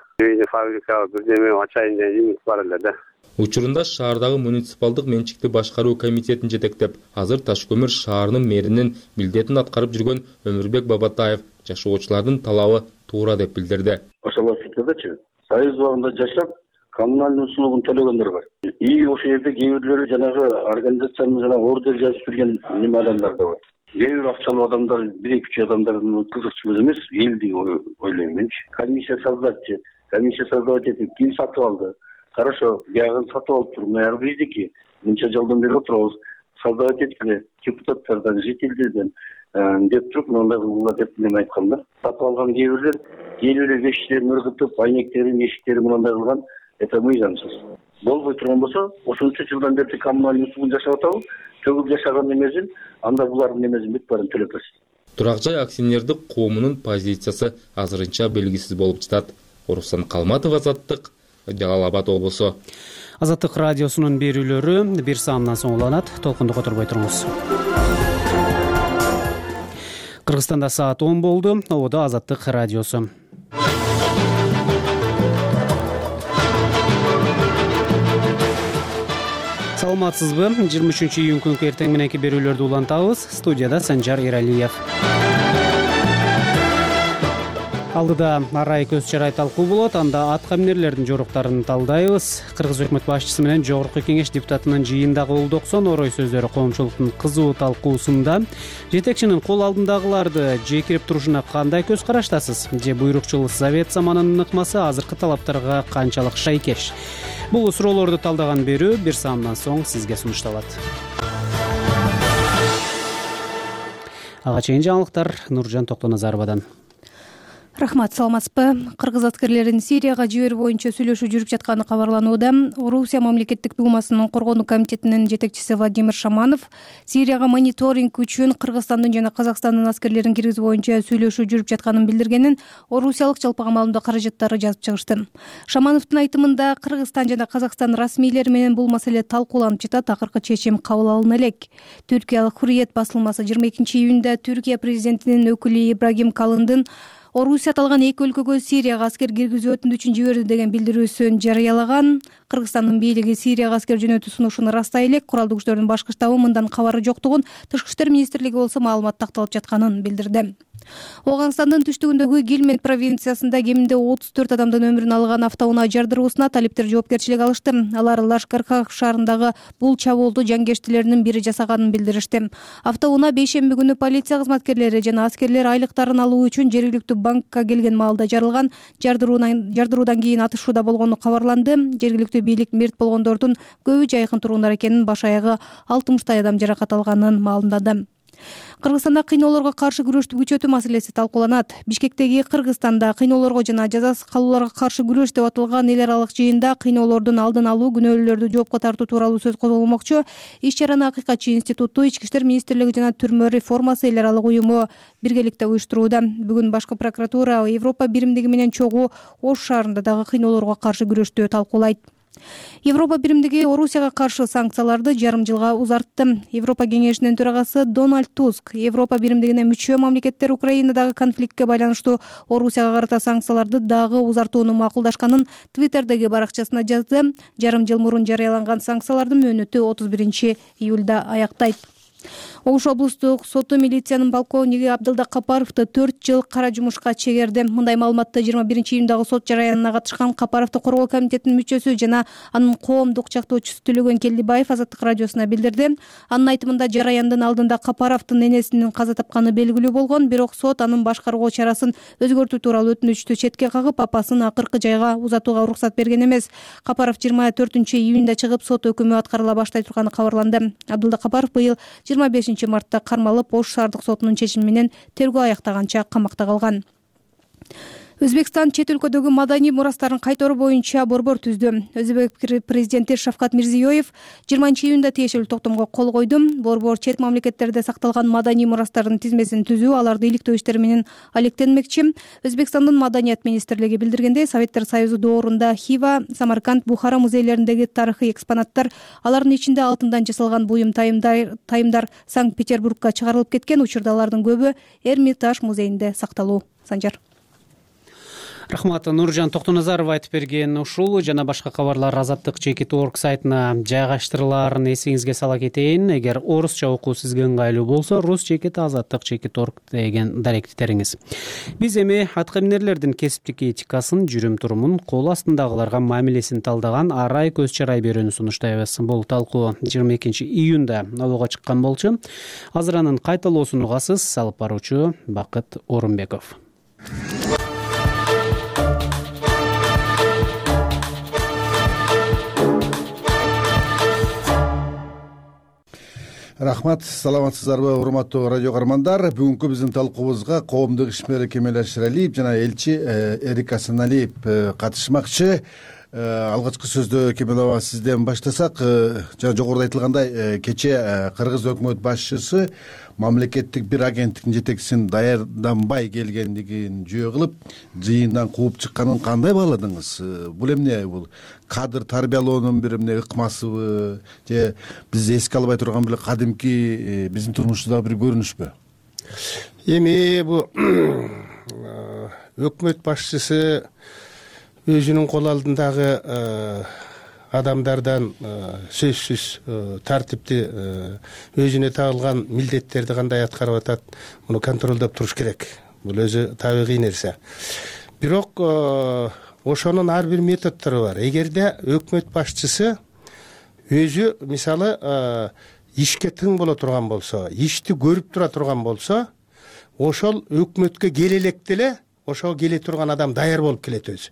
Speaker 3: Фабрика бирдеме ачайын деген үмүт бар эле да.
Speaker 20: Учурунда шаардагы муниципалдык менчикти башкаруу комитетин жетектеп, азыр Таш көмүр шаарынын мэринин милдетин аткарып жүргөн Өмүрбек Бабатаев жашоочулардын талабы туура деп билдирди.
Speaker 9: Ошол фикирдечи, союз убагында жашап, коммуналдык услугун төлөгөндөр бар. И ошол жерде кээ бирлери жанагы организациянын жанагы ордер жазып берген неме адамдар да бар. Кээ бир акчалуу адамдар, 1-2 адамдардын кызыкчу эмес, элди ойлойм менчи. Комиссия создавать этип, ким сатып алды? Хорошо, биягын сатып алып туруп, аяр биздики. Мынча жылдан бери отурабыз. Создавать эткиле, депутаттардан, жителдерден деп туруп, мындай кылгыла деп неме айткан да. Сатып алган кээ бирлер эшиктерин ыргытып, айнектерин, эшиктерин мындай кылган, это мыйзамсыз. Болбой турган болсо, ошончо жылдан бери коммуналдык услугун жашап атабыз. Төгүп жашаган эмесин, анда булардын эмесин бүт баарын төлөп берсин.
Speaker 20: Турак жай акционердик коомунун позициясы азырынча белгисиз болуп жатат. Орусан Калматов, Азаттык, Жалал Абад облусу.
Speaker 1: Азаттык радиосунун берүүлөрү бир саамдан соң уланат. Толкунду которбой туруңуз. Кыргызстанда саат 10 болду. Ободо Азаттык радиосу. Саламатсызбы? 23-июнь күнкү эртең мененки берүүлөрдү улантабыз. Студияда Санжар Эралиев. Алдыда арай көз чарай талкуу болот. Анда ат камнерлердин жоруктарын талдайбыз. Кыргыз өкмөт башчысы менен Жогорку Кеңеш депутатынын жыйындагы Улдоксон Орой сөздөрү коомчулуктун кызуу талкуусунда жетекчинин кол алдындагыларды жекирип турушуна кандай көз караштасыз? Же буйрукчул Совет заманынын ыкмасы азыркы талаптарга канчалык шайкеш? Бул суроолорду талдаган берүү бир саамдан соң сизге сунушталат. Ага чейин жаңылыктар Нуржан Токтоназаровадан.
Speaker 8: Рахмат, саламатсызбы? Кыргыз аскерлерин Сирияга жиберүү боюнча сүйлөшүү жүрүп жатканы кабарланууда. Орусия мамлекеттик думасынын коргонуу комитетинин жетекчиси Владимир Шаманов Сирияга мониторинг үчүн Кыргызстандын жана Казакстандын аскерлерин киргизүү боюнча сүйлөшүү жүрүп жатканын билдиргенин орусиялык жалпыга маалымдоо каражаттары жазып чыгышты. Шамановдун айтымында Кыргызстан жана Казакстан расмийлери менен бул маселе талкууланып жатат, акыркы чечим кабыл алына элек. Түркиялык Hurriyet басылмасы 22-июнда Түркия президентинин өкүлү Ибрагим Калындын Орусия аталган эки өлкөгө Сирияга аскер киргизүү өтүнү үчүн жиберди деген билдирүүсүн жарыялаган. Кыргызстандын бийлиги Сирияга аскер жөнөтүү сунушун ырастай элек, куралдуу күчтөрдүн башкы штабы мындан кабары жоктугун, Тышкы иштер министрлиги болсо маалымат такталып жатканын билдирди. Оганстандын түштүгүндөгү Гилмет провинциясында кеминде 34 адамдын өмүрүн алган автоунаа жардыруусуна талиптер жоопкерчилик алышты. Алар Лашкархах шаарындагы бул чабуулду жангештилеринин бири жасаганын билдиришти. Автоунаа бейшемби күнү полиция кызматкерлери жана аскерлер айлыктарын алуу үчүн жергиликтүү банкка келген маалда жарылган. Жардыруудан кийин атышууда болгону кабарланды. Жергиликтүү бийлик мерт болгондордун көбү жайкын тургундар экенин, баш аягы 60 адам жаракат алганын маалымдады. Кыргызстанда кыйноолорго каршы күрөштү күчөтүү маселеси талкууланат. Бишкектеги Кыргызстанда кыйноолорго жана жазасыз калууларга каршы күрөш деп аталган эл аралык жыйында кыйноолордун алдын алуу, күнөөлүүлөрдү жоопко тартуу тууралуу сөз козголмокчу. Иш-чараны Акыйкатчы институту, Ички иштер министрлиги жана түрмө реформасы эл аралык уюму биргеликте уюштурууда. Бүгүн башкы прокуратура Европа биримдиги менен чогуу Ош шаарында дагы кыйноолорго каршы күрөштү талкуулайт. Европа биримдиги Орусияга каршы санкцияларды жарым жылга узартты. Европа кеңешинин төрагасы Дональд Туск Европа биримдигине мүчө мамлекеттер Украинадагы конфликтке байланыштуу Орусияга карата санкцияларды дагы узартууну макулдашканын Твиттердеги баракчасына жазды. Жарым жыл мурун жарыяланган санкциялардын мөөнөтү 31-июлда аяктайт. Ош облустук соту милициянын полковниги Абдылда Капаровду 4 жыл кара жумушка чегерди. Мындай маалыматты 21-июндагы сот жараянына катышкан Капаровду коргоо комитетинин мүчөсү жана анын коомдук чактоочусу Төлөгөн Келдибаев Азаттык радиосуна билдирди. Анын айтымында жараяндын алдында Капаровдун энесинин каза тапканы белгилүү болгон, бирок сот анын башкаруу чарасын өзгөртүү тууралуу өтүнүчтү четке кагып, апасын акыркы жайга узатууга уруксат берген эмес. Капаров 24-июнда чыгып, сот өкүмү аткарыла баштай турганы кабарланды. Абдылда Капаров быйыл 25-мартта кармалып, Ош шаардык сотунун чечими менен тергөө аяктаганча камакта калган. Өзбекстан чет өлкөдөгү маданий мурастарын кайторуу боюнча борбор түздү. Өзбек президенти Шавкат Мирзиёев 20-июнда тиешелүү токтомго кол койду. Борбор чет мамлекеттерде сакталган маданий мурастардын тизмесин түзүү, аларды иликтөө иштери менен алектенмекчи. Өзбекстандын маданият министрлиги билдиргендей, Советтер Союзу доорунда Хива, Самарканд, Бухара музейлериндеги тарыхый экспонаттар, алардын ичинде алтындан жасалган буюм тайымдар Санкт-Петербургка чыгарылып кеткен. Учурда алардын көбү Эрмитаж музейинде сакталуу. Санжар.
Speaker 1: Рахмат. Нуржан Токтоназаров айтып берген ушул жана башка кабарлар Азаттык.org сайтына жайгаштырылаарын эсиңизге сала кетейин. Эгер орусча окуу сизге ыңгайлуу болсо, rus.azattyk.org деген даректи териңиз. Биз эми аткаминерлердин кесиптик этикасын, жүрүм-турумун, кол астындагыларга мамилесин талдаган арай көз чарай берүүнү сунуштайбыз. Бул талкуу 22-июнда абага чыккан болчу. Азыр анын кайталоосун угасыз. Алып баруучу Бакыт Орунбеков.
Speaker 2: Рахмат, саламатсыздарбы, урматтуу радио каармандар. Бүгүнкү биздин талкуубузга коомдук ишмер Кемел Аширалиев жана элчи Эрик Асаналиев катышмакчы. Алгачкы сөздө Кемел аба сизден баштасак, жана жогоруда айтылгандай, кечээ Кыргыз өкмөт башчысы мамлекеттик бир агенттиктин жетекчисин даярданбай келгендигин жөө кылып, жыйындан кууп чыкканын кандай бааладыңыз? Бул эмне? Бул кадр тарбиялоонун бир эмне ыкмасыбы, же биз эске албай турган бир кадимки биздин турмушубуздагы бир көрүнүшпү?
Speaker 4: Эми бул өкмөт башчысы өзүнүн кол алдындагы адамдардан сөзсүз тартипти, өзүнө тагылган милдеттерди кандай аткарып атат, муну контролдоп туруш керек. Бул өзү табигый нерсе. Бирок ошонун ар бир методдору бар. Эгерде өкмөт башчысы өзү мисалы ишке тың боло турган болсо, ишти көрүп тура турган болсо, ошол өкмөткө келе электе эле ошого келе турган адам даяр болуп келет өзү.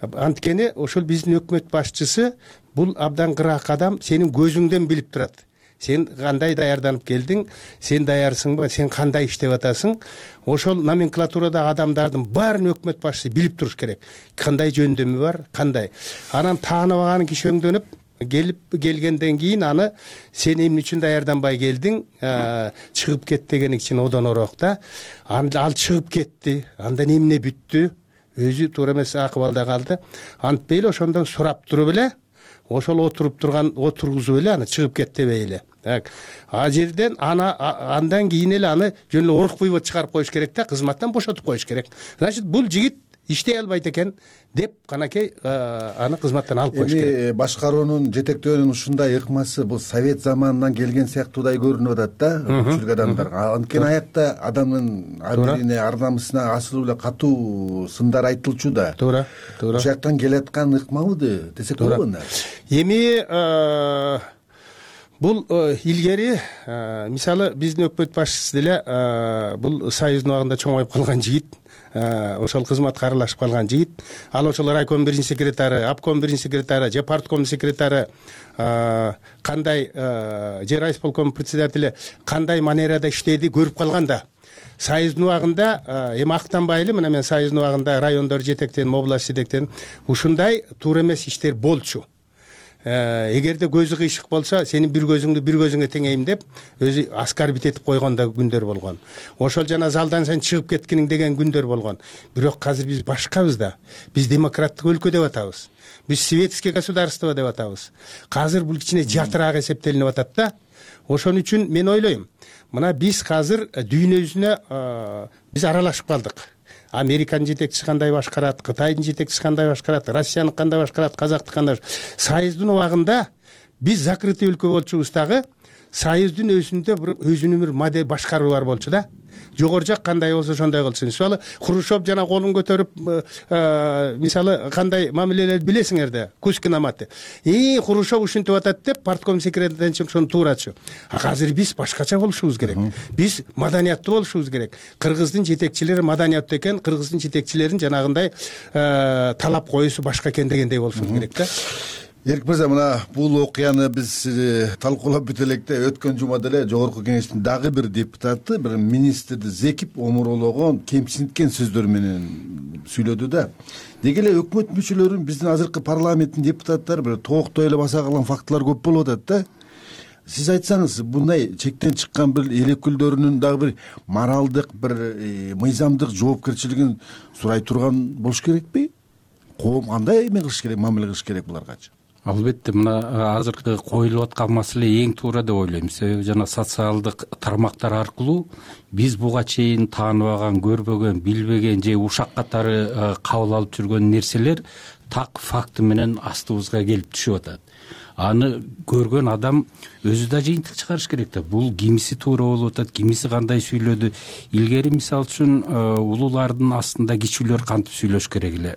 Speaker 4: Анткени ошол биздин өкмөт башчысы бул абдан кыраак адам, сенин көзүңдөн билип турат. Сен кандай даярданып келдиң, сен даярсыңбы, сен кандай иштеп атасың? Ошол номенклатурадагы адамдардын баарын өкмөт башчысы билип туруш керек. Кандай жөндөмү бар, кандай. Анан тааныбаган киши өңдөнүп келгенден кийин аны сен эмне үчүн даярданбай келдиң, чыгып кет деген үчүн одонороок да. Ал чыгып кетти, андан эмне бүттү? Өзү туура эмес акыбалда калды. Антпей эле ошондон сурап туруп эле, ошол отургузуп эле аны чыгып кет дебей эле. А жерден андан кийин эле аны жөн эле орукпуй чыгарып коюш керек да, кызматтан бошотуп коюш керек. Значит, бул жигит иштей албайт экен деп канакей аны кызматтан алып коюш керек.
Speaker 2: Башкаруунун, жетектөөнүн ушундай ыкмасы бул совет заманынан келген сыяктуудай көрүнүп атат да, көпчүлүк адамдарга. Анткени аякта адамдын абирине, ар намысына асылуу эле катуу сындар айтылчу да.
Speaker 4: Туура.
Speaker 2: Ошол жактан келаткан ыкмабы десек болобу?
Speaker 4: Эми бул илгери мисалы биздин өкмөт башчысы деле бул союздун убагында чоңоюп калган жигит, ошол кызматка аралашып калган жигит. Ал ошол райком биринчи секретары, обком биринчи секретары, же партком секретары кандай, же райисполком председатели кандай манерада иштеди көрүп калган да. Союздун убагында эми актанбай эле, мына мен союздун убагында райондор жетектен, область жетектен ушундай туура эмес иштер болчу. Эгерде көзү кыйшык болсо, сенин бир көзүңдү бир көзүңө теңейм деп өзү аскарбит этип койгон да күндөр болгон. Ошол жана залдан сен чыгып кеткениң деген күндөр болгон. Бирок азыр биз башкабыз да. Биз демократтык өлкө деп атабыз. Биз светский государство деп атабыз. Азыр бул кичине жатыраак эсептелинип атат да. Ошон үчүн мен ойлойм, мына биз азыр дүйнө биз аралашып калдык. Американын жетекчиси кандай башкарат, Кытайдын жетекчиси кандай башкарат, Россиянын кандай башкарат, Казактын кандай. Союздун убагында биз закрытый өлкө болчубуз дагы, союздун өзүнүн бир модель башкаруу бар болчу да. Жогору жак кандай болсо ошондой кылсын. Мисалы Хрущев жана колун көтөрүп, мисалы кандай мамилелерди билесиңер да, Кузькин Аматы. Хрущев ушинтип атат деп партком секретардан ошону туурачу. Азыр биз башкача болушубуз керек. Биз маданияттуу болушубуз керек. Кыргыздын жетекчилери маданияттуу экен, кыргыздын жетекчилерин жанагындай талап коюусу башка экен дегендей болушубуз керек да.
Speaker 2: Эркин мырза, мына бул окуяны биз талкуулап бүт электе өткөн жума деле жогорку кеңештин дагы бир депутаты бир министрди зекип омурологон, кемсинткен сөздөр менен сүйлөдү да. Деги эле өкмөт мүчөлөрүн, биздин азыркы парламенттин депутаттары бир тооктой эле баса калган фактылар көп болуп атат да. Сиз айтсаңыз, мындай чектен чыккан бир эл өкүлдөрүнүн дагы бир моралдык, бир мыйзамдык жоопкерчилигин сурай турган болуш керекпи? Коом кандай эме кылыш керек, мамиле кылыш керек буларгачы?
Speaker 11: Албетте, мына азыркы коюлуп аткан маселе эң туура деп ойлойм. Себеби жана социалдык тармактар аркылуу биз буга чейин тааныбаган, көрбөгөн, билбеген же ушак катары кабыл алып жүргөн нерселер так факты менен астыбызга келип түшүп атат. Аны көргөн адам өзү да жыйынтык чыгарыш керек да. Бул кимиси туура болуп атат, кимиси кандай сүйлөдү. Илгери мисалы үчүн улуулардын астында кичүүлөр кантип сүйлөш керек эле,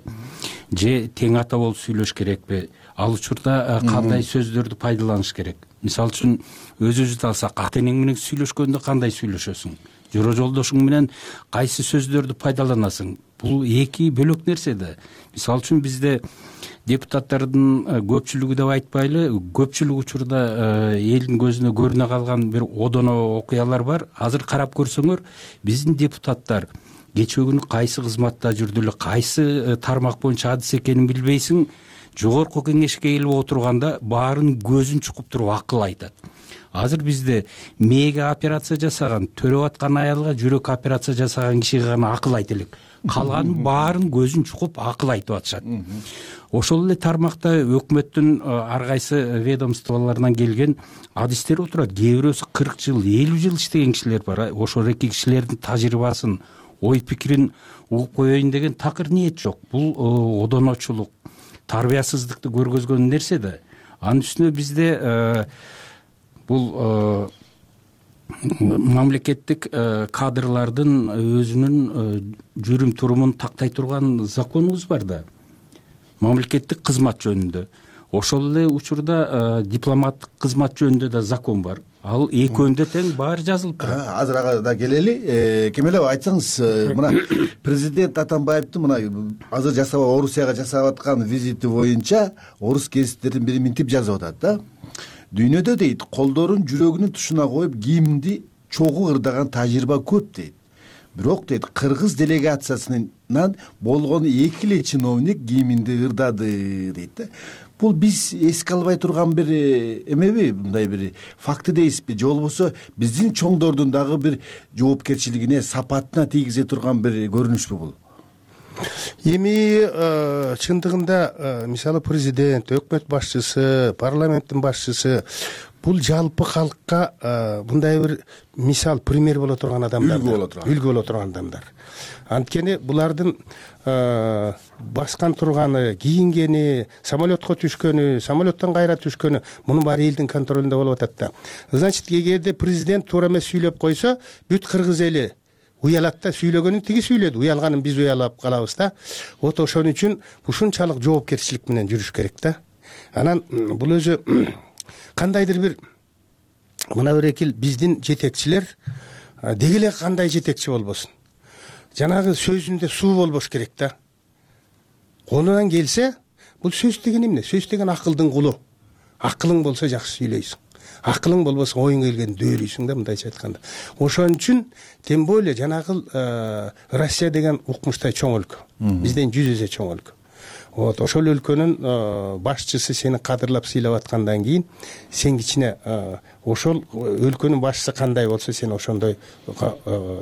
Speaker 11: же тең ата болуп сүйлөш керекпи? Ал учурда кандай сөздөрдү пайдаланыш керек? Мисалы үчүн өзүбүздү алсак, ата энең менен сүйлөшкөндө кандай сүйлөшөсүң? Жора жолдошуң менен кайсы сөздөрдү пайдаланасың? Бул эки бөлөк нерсе да. Мисалы үчүн бизде депутаттардын көпчүлүгү деп айтпайлы, көпчүлүк учурда элдин көзүнө көрүнө калган бир одоно окуялар бар. Азыр карап көрсөңөр, биздин депутаттар кечээ күнү кайсы кызматта жүрдү эле, кайсы тармак боюнча адис экенин билбейсиң, жогорку кеңешке келип отурганда баарын көзүн чукуп туруп акыл айтат. Азыр бизде мээге операция жасаган, төрөп аткан аялга жүрөк операция жасаган кишиге гана акыл айта элек. Калганын баарын көзүн чукуп акыл айтып атышат. Ошол эле тармакта өкмөттүн ар кайсы ведомстволорунан келген адистер отурат. Кээ бирөөсү 40 жыл, 50 жыл иштеген кишилер бар. Ошол эки кишилердин тажрыйбасын, ой пикирин угуп коеюн деген такыр ниет жок. Бул одоночулук, тарбиясыздыкты көргөзгөн нерсе да. Анын үстүнө бизде бул мамлекеттик кадрлардын өзүнүн жүрүм турумун тактай турган законубуз бар да. Мамлекеттик кызмат жөнүндө. Ошол эле учурда дипломаттык кызмат жөнүндө да закон бар. Ал экөөндө тең баары жазылып турат.
Speaker 2: Азыр ага да келели. Кемелов, айтсаңыз, мына президент Атамбаевдин мына азыр Орусияга жасап аткан визити боюнча орус гезиттердин бири минтип жазып атат да. Дүйнөдө дейт, колдорун жүрөгүнүн тушуна коюп кийимди чогуу ырдаган тажрыйба көп дейт. Бирок дейт, кыргыз делегациясынан болгон 2 эле чиновник кийиминди ырдады дейт да. Бул биз эске албай турган бир эмеби, мындай бир факты дейсизби, же болбосо биздин чоңдордун дагы бир жоопкерчилигине, сапатына тийгизе турган бир көрүнүшпү бул?
Speaker 4: Эми чындыгында мисалы президент, өкмөт башчысы, парламенттин башчысы бул жалпы калкка мындай бир мисал, пример боло турган адамдар, үлгү боло турган адамдар. Анткени булардын баскан турганы, кийингени, самолетко түшкөнү, самолеттон кайра түшкөнү, мунун баары элдин контролунда болуп атат да. Значит, эгерде президент туура эмес сүйлөп койсо, бүт кыргыз эли уялат да. Сүйлөгөнүн тиги сүйлөдү, уялганын биз уялап калабыз да. Вот ошон үчүн ушунчалык жоопкерчилик менен жүрүш керек да. Анан бул өзү кандайдыр бир мына берекил биздин жетекчилер деги эле кандай жетекчи болбосун, жанагы сөзүндө суу болбош керек да. Колунан келсе, бул сөз деген эмне? Сөз деген акылдын кулу. Акылың болсо жакшы сүйлөйсүң. Акылың болбосо оюңа келгенди дөөлөйсүң да, мындайча айтканда. Ошон үчүн тем более жанагы Россия деген укмуштай чоң өлкө. Бизден 100 эсе чоң өлкө. Вот ошол өлкөнүн башчысы сени кадырлап сыйлап аткандан кийин сен кичине ошол өлкөнүн башчысы кандай болсо сен ошондой,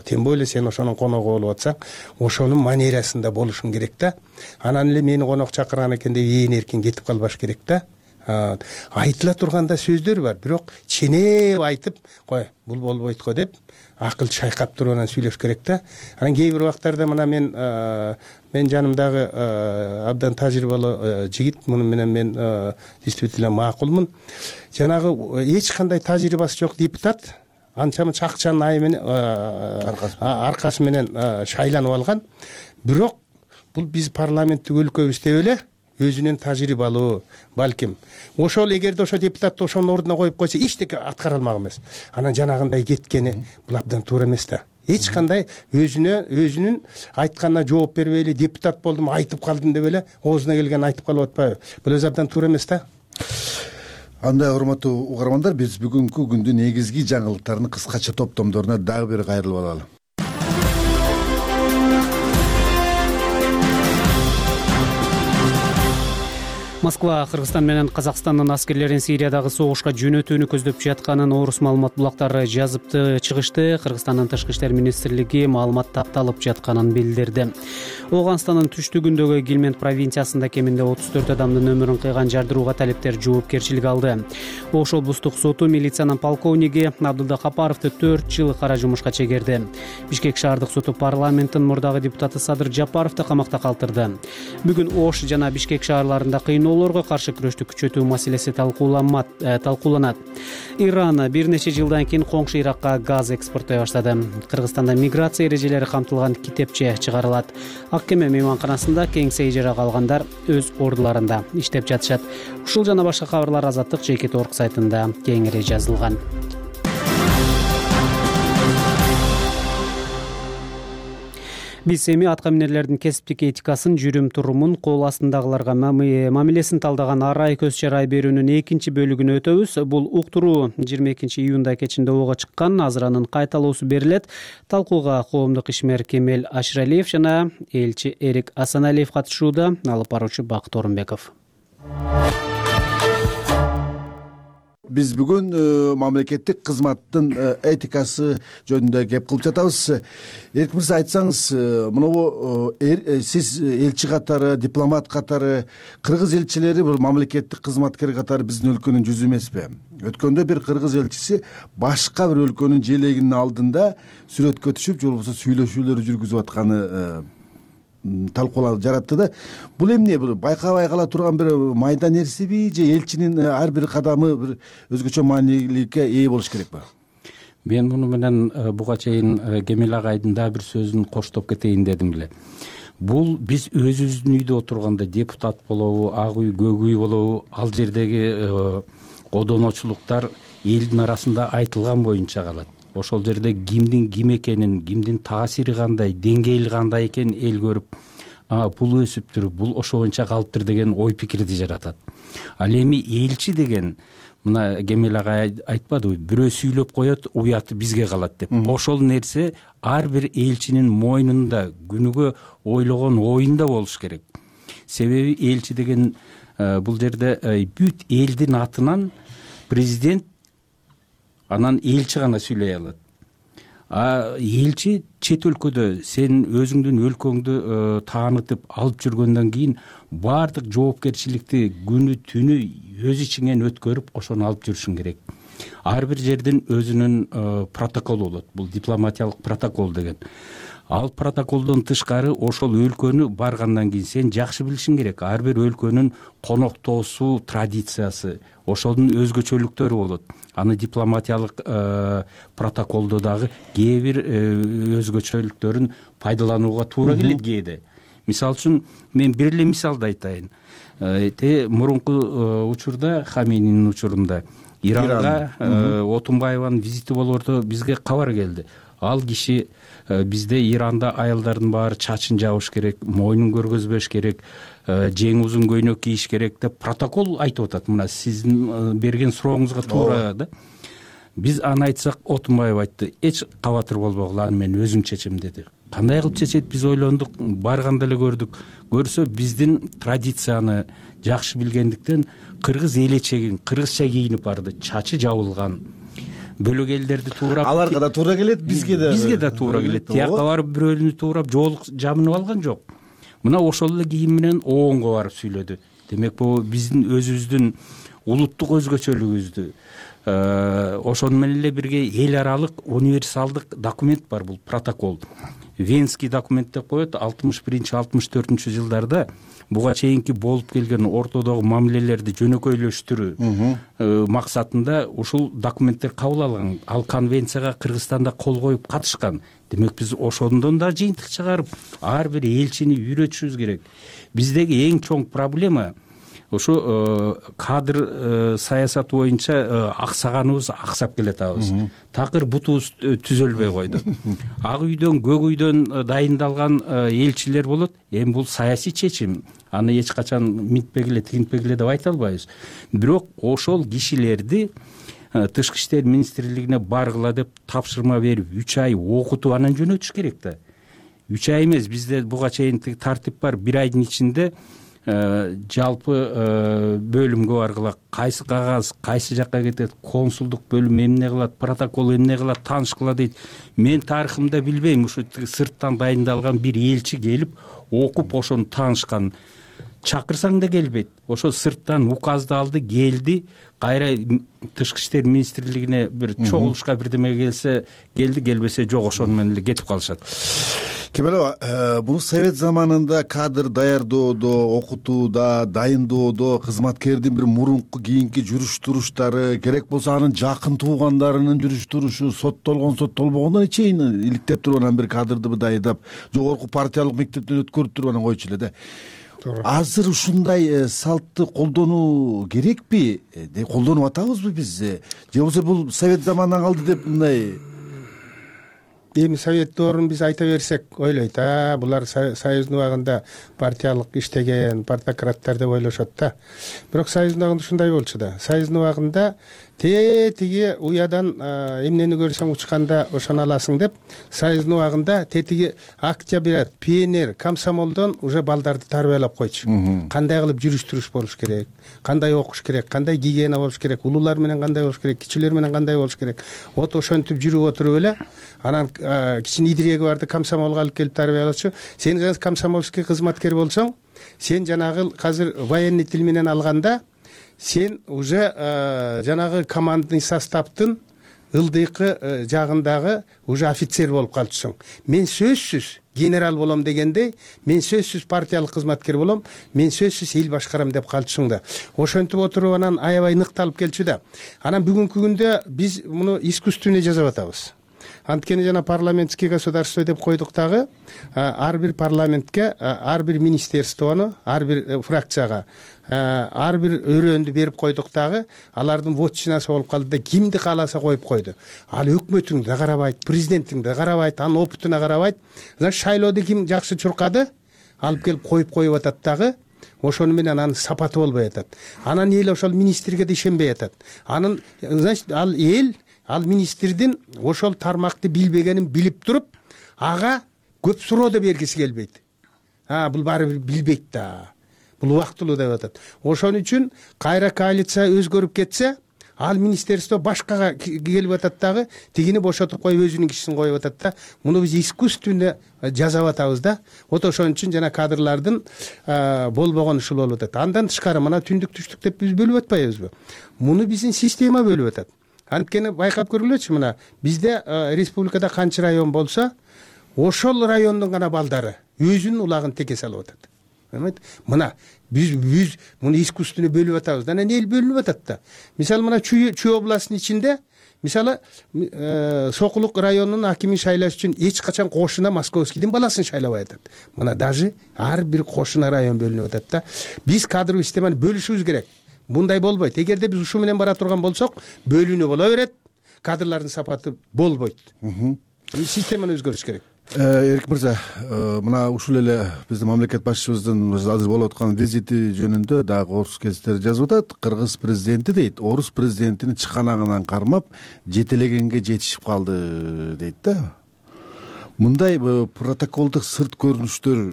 Speaker 4: тем более сен ошонун коногу болуп атсаң, ошонун манерасында болушуң керек да. Анан эле мени конок чакырган экен деп ээн эркин кетип калбаш керек да. Айтыла турганда сөздөр бар, бирок ченеп айтып, кой, бул болбойт го деп акыл чайкап туруп анан сүйлөш керек да. Анан кээ бир убактарда мына мен жанымдагы абдан тажрыйбалуу жигит, муну менен мен действительно макулмун. Жанагы эч кандай тажрыйбасы жок депутат анча-мынча акчанын айы менен аркасы менен шайланып алган. Бирок бул биз парламенттик өлкөбүз деп эле өзүнүн тажрыйбалуу, балким ошол эгерде ошо депутатты ошонун ордуна коюп койсо эчтеке аткара алмак эмес. Анан жанагындай кеткени бул абдан туура эмес да. Эч кандай өзүнүн айтканына жооп бербей эле депутат болдум, айтып калдым деп эле оозуна келгенин айтып калып атпайбы? Бул өзү абдан туура эмес да.
Speaker 2: андай урматтуу угармандар, биз бүгүнкү күндүн негизги жаңылыктарын кыскача топтомдоруна дагы бир кайрылып алалы.
Speaker 1: Москва Кыргызстан менен Казакстандын аскерлерин Сириядагы согушка жөнөтүүнү көздөп жатканын орус маалымат булактары жазыпты чыгышты. Кыргызстандын тышкы иштер министрлиги маалымат тапталып жатканын билдирди. Ооганстандын түштүгүндөгү Гилмент провинциясында кеминде 34 адамдын өмүрүн кыйган жардырууга талептер жоопкерчилик алды. Ош облустук соту милициянын полковниги Абдылда Капаровду 4 жыл кара жумушка чегерди. Бишкек шаардык соту парламенттин мурдагы депутаты Садыр Жапаровду камакта калтырды. Бүгүн Ош жана Бишкек шаарларында кыйноолорго каршы күрөштү күчөтүү маселеси талкууланат. Иран бир нече жылдан кийин коңшу Иракка газ экспорттой баштады. Кыргызстанда миграция эрежелери камтылган китепче чыгарылат. Ак кеме мейманканасында кеңсе ижарага алгандар өз ордуларында иштеп жатышат. Ушул жана башка кабарлар Азаттык JKT.org сайтында кеңири жазылган. Биз эми атка минерлердин кесиптик этикасын, жүрүм-турумун, кол астындагыларга мамилесин талдаган арай көз чарай берүүнүн экинчи бөлүгүнө өтөбүз. Бул уктуруу 22-июнда кечинде ого чыккан. Азыр анын кайталоосу берилет. Талкууга коомдук ишмер Кемел Аширалиев жана элчи Эрик Асаналиев катышууда. Алып баруучу Бакыт Орунбеков.
Speaker 2: Биз бүгүн мамлекеттик кызматтын этикасы жөнүндө кеп кылып жатабыз. Эрик мырза, айтсаңыз, мынабу сиз элчи катары, дипломат катары, кыргыз элчилери бул мамлекеттик кызматкер катары биздин өлкөнүн жүзү эмеспи? Өткөндө бир кыргыз элчиси башка бир өлкөнүн желегинин алдында сүрөткө түшүп, же болбосо сүйлөшүүлөр жүргүзүп атканы талкуулар жаратты да. Бул эмне? Бул байкабай кала турган бир майда нерсеби, же элчинин ар бир кадамы бир өзгөчө мааниликке ээ болуш керекпи?
Speaker 11: Мен муну менен буга чейин Кемел агайдын дагы бир сөзүн коштоп кетейин дедим эле. Бул биз өзүбүздүн үйдө отурганда депутат болобу, ак үй, көк үй болобу, ал жердеги одоночулуктар элдин арасында айтылган боюнча калат. Ошол жерде кимдин ким экенин, кимдин таасири кандай, деңгээли кандай экенин эл көрүп, бул өсүптүр, бул ошо боюнча калыптыр деген ой пикирди жаратат. Ал эми элчи деген, мына Кемел агай айтпадыбы, бирөө сүйлөп коет, уяты бизге калат деп. Ошол нерсе ар бир элчинин мойнунда, күнүгө ойлогон оюнда болуш керек. Себеби элчи деген бул жерде бүт элдин атынан президент, анан элчи гана сүйлөй алат. Элчи чет өлкөдө сен өзүңдүн өлкөңдү таанытып алып жүргөндөн кийин баардык жоопкерчиликти күнү түнү өз ичиңен өткөрүп ошону алып жүрүшүң керек. Ар бир жердин өзүнүн протоколу болот. Бул дипломатиялык протокол деген. Ал протоколдон тышкары ошол өлкөнү баргандан кийин сен жакшы билишиң керек. Ар бир өлкөнүн коноктоосу, традициясы, ошонун өзгөчөлүктөрү болот. Аны дипломатиялык протоколдо дагы кээ бир өзгөчөлүктөрүн пайдаланууга туура келет кээде. Мисалы үчүн мен бир эле мисалды айтайын. Мурунку учурда, Хамининин учурунда Иранга Отунбаеванын визити болоордо бизге кабар келди. Ал киши бизде Иранда аялдардын баары чачын жабыш керек, мойнун көргөзбөш керек, жең узун көйнөк кийиш керек деп протокол айтып атат. Мына сиздин берген сурооңузга туура да. Биз аны айтсак, Отунбаев айтты, эч кабатыр болбогула, аны мен өзүм чечем деди. Кандай кылып чечет, биз ойлондук, барганда эле көрдүк. Көрсө биздин традицияны жакшы билгендиктен кыргыз элечегин кыргызча кийинип барды, чачы жабылган. Бөлөк элдерди туурап,
Speaker 2: аларга да туура келет, бизге да
Speaker 11: туура келет. Тияка барып бирөөнү туурап жоолук жабынып алган жок. Мына ошол эле кийим менен ооңго барып сүйлөдү. Демек бул биздин өзүбүздүн улуттук өзгөчөлүгүбүздү, ошону менен эле бирге эл аралык универсалдык документ бар, бул протокол. Венский документ деп коет. 61-64 жылдарда буга чейинки болуп келген ортодогу мамилелерди жөнөкөйлөштүрүү максатында ушул документтер кабыл алган. Ал конвенцияга Кыргызстанда кол коюп катышкан. Демек биз ошондон да жыйынтык чыгарып, ар бир элчини үйрөтүшүбүз керек. Биздеги эң чоң проблема ошо кадр саясаты боюнча аксаганыбыз аксап келатабыз. Такыр бутубуз түзөлбөй койду. Ак үйдөн, көк үйдөн дайындалган элчилер болот. Эми бул саясий чечим. Аны эч качан минтпегиле, тигинтпегиле деп айта албайбыз. Бирок ошол кишилерди Тышкы иштер министрлигине баргыла деп тапшырма берип 3 ай окутуп анан жөнөтүш керек да. 3 ай эмес, бизде буга чейин тартип бар. 1 айдын ичинде жалпы бөлүмгө баргыла, кайсы кагаз кайсы жакка кетет, консулдук бөлүм эмне кылат, протокол эмне кылат, таанышкыла дейт. Мен тарыхымда билбейм, ушу сырттан дайындалган бир элчи келип окуп ошону таанышкан. Чакырсаң да келбейт. Ошо сырттан указды алды, келди, кайра Тышкы иштер министрлигине бир чогулушка бирдеме келсе келди, келбесе жок, ошону менен эле кетип калышат.
Speaker 2: Кемелова, бул совет заманында кадр даярдоодо, окутууда, дайындоодо кызматкердин бир мурунку кийинки жүрүш туруштары, керек болсо анын жакын туугандарынын жүрүш турушу, соттолбогондон чейин иликтеп туруп анан бир кадрды дайындап, жогорку партиялык мектептен өткөрүп туруп анан койчу эле да. Азыр ушундай салтты колдонуу керекпи? Колдонуп атабызбы биз? Же болбосо бул совет заманынан калды деп мындай?
Speaker 4: Эми совет доорун биз айта берсек ойлойт, булар союздун убагында партиялык иштеген партократтар деп ойлошот да. Бирок союздун убагында ушундай болчу да. Союздун убагында тетиги уядан эмнени көрсөң учканда ошону аласың деп, союздун убагында тетиги октябрь, пионер, комсомолдон уже балдарды тарбиялап койчу. Кандай кылып жүрүш туруш болуш керек, кандай окуш керек, кандай гигиена болуш керек, улуулар менен кандай болуш керек, кичилер менен кандай болуш керек. Вот ошентип жүрүп отуруп эле анан кичине идиреги барды комсомолго алып келип тарбиялачу. Сен комсомольский кызматкер болсоң, сен жанагы азыр военный тил менен алганда сен уже жанагы командный составдын ылдыйкы жагындагы уже офицер болуп калчусуң. Мен сөзсүз генерал болом дегенде, мен сөзсүз партиялык кызматкер болом, мен сөзсүз эл башкарам деп калчусуң да. Ошентип отуруп анан аябай ныкталып келчү да. Анан бүгүнкү күндө биз муну искусственный жасап атабыз. Анткени жана парламентский государство деп койдук дагы, ар бир парламентке, ар бир министерствону, ар бир фракцияга, ар бир өрөөндү берип койдук дагы, алардын вотчинасы болуп калды да, кимди кааласа коюп койду. Ал өкмөтүң да карабайт, президенттиң да карабайт, анын опытына карабайт. Шайлоодо ким жакшы чуркады, алып келип коюп атат дагы. Ошону менен анын сапаты болбой атат. Анан эл ошол министрге да ишенбей атат. Анын, значит, ал министрдин ошол тармакты билбегенин билип туруп, ага көп суроо да бергиси келбейт. Бул баары бир билбейт да. Бул убактылуу деп атат. Ошон үчүн кайра коалиция өзгөрүп кетсе, ал министерство башкага келип атат дагы, тигини бошотуп коюп өзүнүн кишисин коюп атат да. Муну биз искусственно жасап атабыз да. Вот ошон үчүн жана кадрлардын болбогон ушул болуп атат. Андан тышкары мына түндүк түштүк деп биз бөлүп атпайбызбы? Муну биздин система бөлүп атат. Анткени байкап көргүлөчү, мына бизде республикада канча район болсо, ошол райондун гана балдары өзүнүн улагын теке салып атат. Мына биз муну искусственно бөлүп атабыз. Анан эл бөлүнүп атат да. Мисалы мына Чүй областынын ичинде, мисалы Сокулук районунун акимин шайлаш үчүн эч качан кошуна Московскийдин баласын шайлабай атат. Мына даже ар бир кошуна район бөлүнүп атат да. Биз кадровый системаны бөлүшүбүз керек. Мындай болбойт. Эгерде биз ушу менен бара турган болсок, бөлүнүү боло берет, кадрлардын сапаты болбойт. Системаны өзгөртүш керек.
Speaker 2: Эркин мырза, мына ушул эле биздин мамлекет башчыбыздын азыр болуп аткан визити жөнүндө дагы орус гезиттери жазып атат. Кыргыз президенти дейт, орус президентинин чыканагынан кармап, жетелегенге жетишип калды дейт да. Мындай протоколдук сырт көрүнүштөр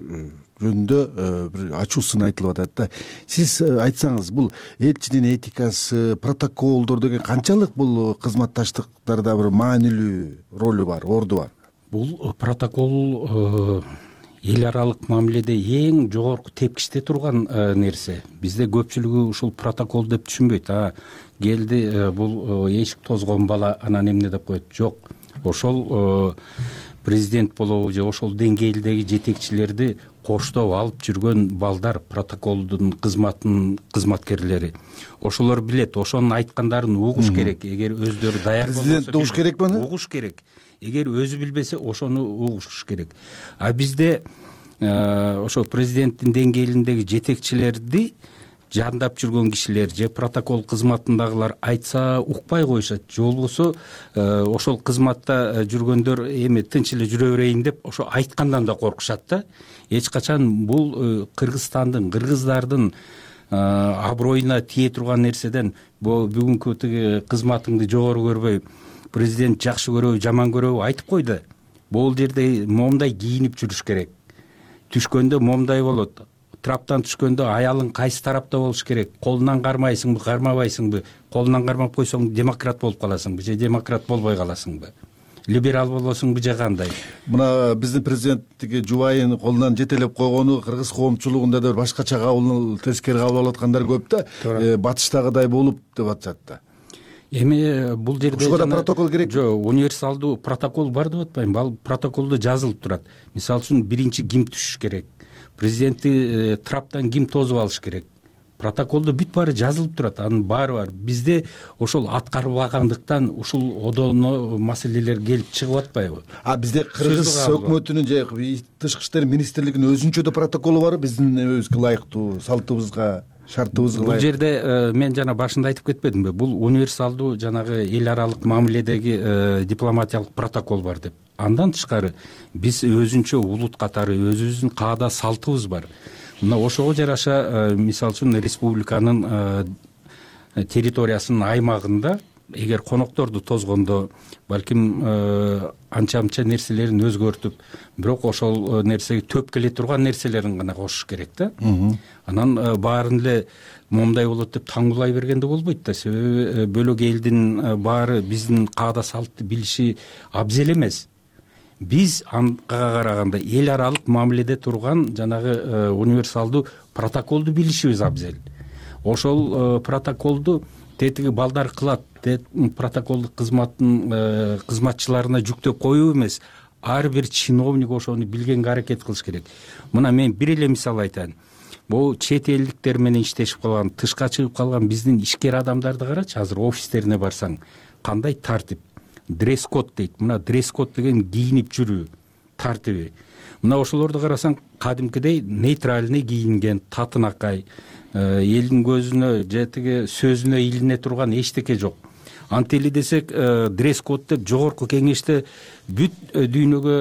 Speaker 2: жөнүндө бир ачуу сын айтылып атат да. Сиз айтсаңыз, бул элчинин этикасы, протоколдор деген канчалык бул кызматташтыктарда бир маанилүү ролу бар, орду бар?
Speaker 11: Бул протокол эл аралык мамиледе эң жогорку тепкичте турган нерсе. Бизде көпчүлүгү ушул протокол деп түшүнбөйт. Келди, бул эшик тозгон бала, анан эмне деп коет. Жок. Ошол президент болобу же ошол деңгээлдеги жетекчилерди коштоп алып жүргөн балдар, протоколдун кызматкерлери. Ошолор билет, ошонун айткандарын угуш керек. Эгер өздөрү даяр болбосо,
Speaker 2: президент угуш керекпи аны?
Speaker 11: Угуш керек. Эгер өзү билбесе, ошону угуш керек. Бизде ошо президенттин деңгээлиндеги жетекчилерди жандап жүргөн кишилер же протокол кызматындагылар айтса укпай коюшат, же болбосо ошол кызматта жүргөндөр эми тынч эле жүрө берейин деп ошо айткандан да коркушат да. Эч качан бул Кыргызстандын, кыргыздардын аброюна тие турган нерседен бүгүнкү тиги кызматыңды жогору көрбөй, президент жакшы көрөбү, жаман көрөбү айтып кой да. Бул жерде момундай кийинип жүрүш керек. Түшкөндө момундай болот. Траптан түшкөндө аялың кайсы тарапта болуш керек? Колунан кармайсыңбы, кармабайсыңбы? Колунан кармап койсоң демократ болуп каласыңбы же демократ болбой каласыңбы? Либерал болосуңбу же кандай?
Speaker 2: Мына биздин президент тиги жубайын колунан жетелеп койгону кыргыз коомчулугунда да башкача кабыл, тескери кабыл алып аткандар көп да. Батыштагыдай болуп деп атышат да.
Speaker 11: Эми бул жерде
Speaker 2: ушуга да протокол керек.
Speaker 11: Жок, универсалдуу протокол бар деп атпайм. Ал протоколдо жазылып турат. Мисалы үчүн биринчи ким түшүш керек? Президентти траптан ким тосуп алыш керек? Протоколдо бүт баары жазылып турат. Анын баары бар. Бизде ошол аткарылбагандыктан ушул одоно маселелер келип чыгып атпайбы?
Speaker 2: Бизде кыргыз өкмөтүнүн же тышкы иштер министрлигинин өзүнчө да протоколу бар. Биздин өзгө ылайыктуу салтыбызга, шартыбызга ылайык.
Speaker 11: Бул жерде мен жана башында айтып кетпедимби? Бул универсалдуу жанагы эл аралык мамиледеги дипломатиялык протокол бар деп. Андан тышкары биз өзүнчө улут катары өзүбүздүн каада салтыбыз бар. Мына ошого жараша мисалы үчүн республиканын территориясынын аймагында эгер конокторду тозгондо балким анча-мынча нерселерин өзгөртүп, бирок ошол нерсеге төп келе турган нерселерин гана кошуш керек да. Анан баарын эле момундай болот деп таңгулай бергенде болбойт да. Себеби бөлөк элдин баары биздин каада салтты билиши абзел эмес. Биз анга караганда эл аралык мамиледе турган жанагы универсалдуу протоколду билишибиз абзел. Ошол протоколду тетиги балдар кылат, протоколдук кызматтын кызматчыларына жүктөп коюу эмес, ар бир чиновник ошону билгенге аракет кылыш керек. Мына мен бир эле мисал айтайын. Бул чет элдиктер менен иштешип калган, тышка чыгып калган биздин ишкер адамдарды карачы, азыр офистерине барсаң, кандай тартип. Дресс-код дейт. Мына дресс-код деген кийинип жүрүү тартиби. Мына ошолорду карасаң, кадимкидей нейтральный кийинген, татынакай, элдин көзүнө же тиги сөзүнө илине турган эчтеке жок. Антели десек, дресс-код деп жогорку кеңеште бүт дүйнөгө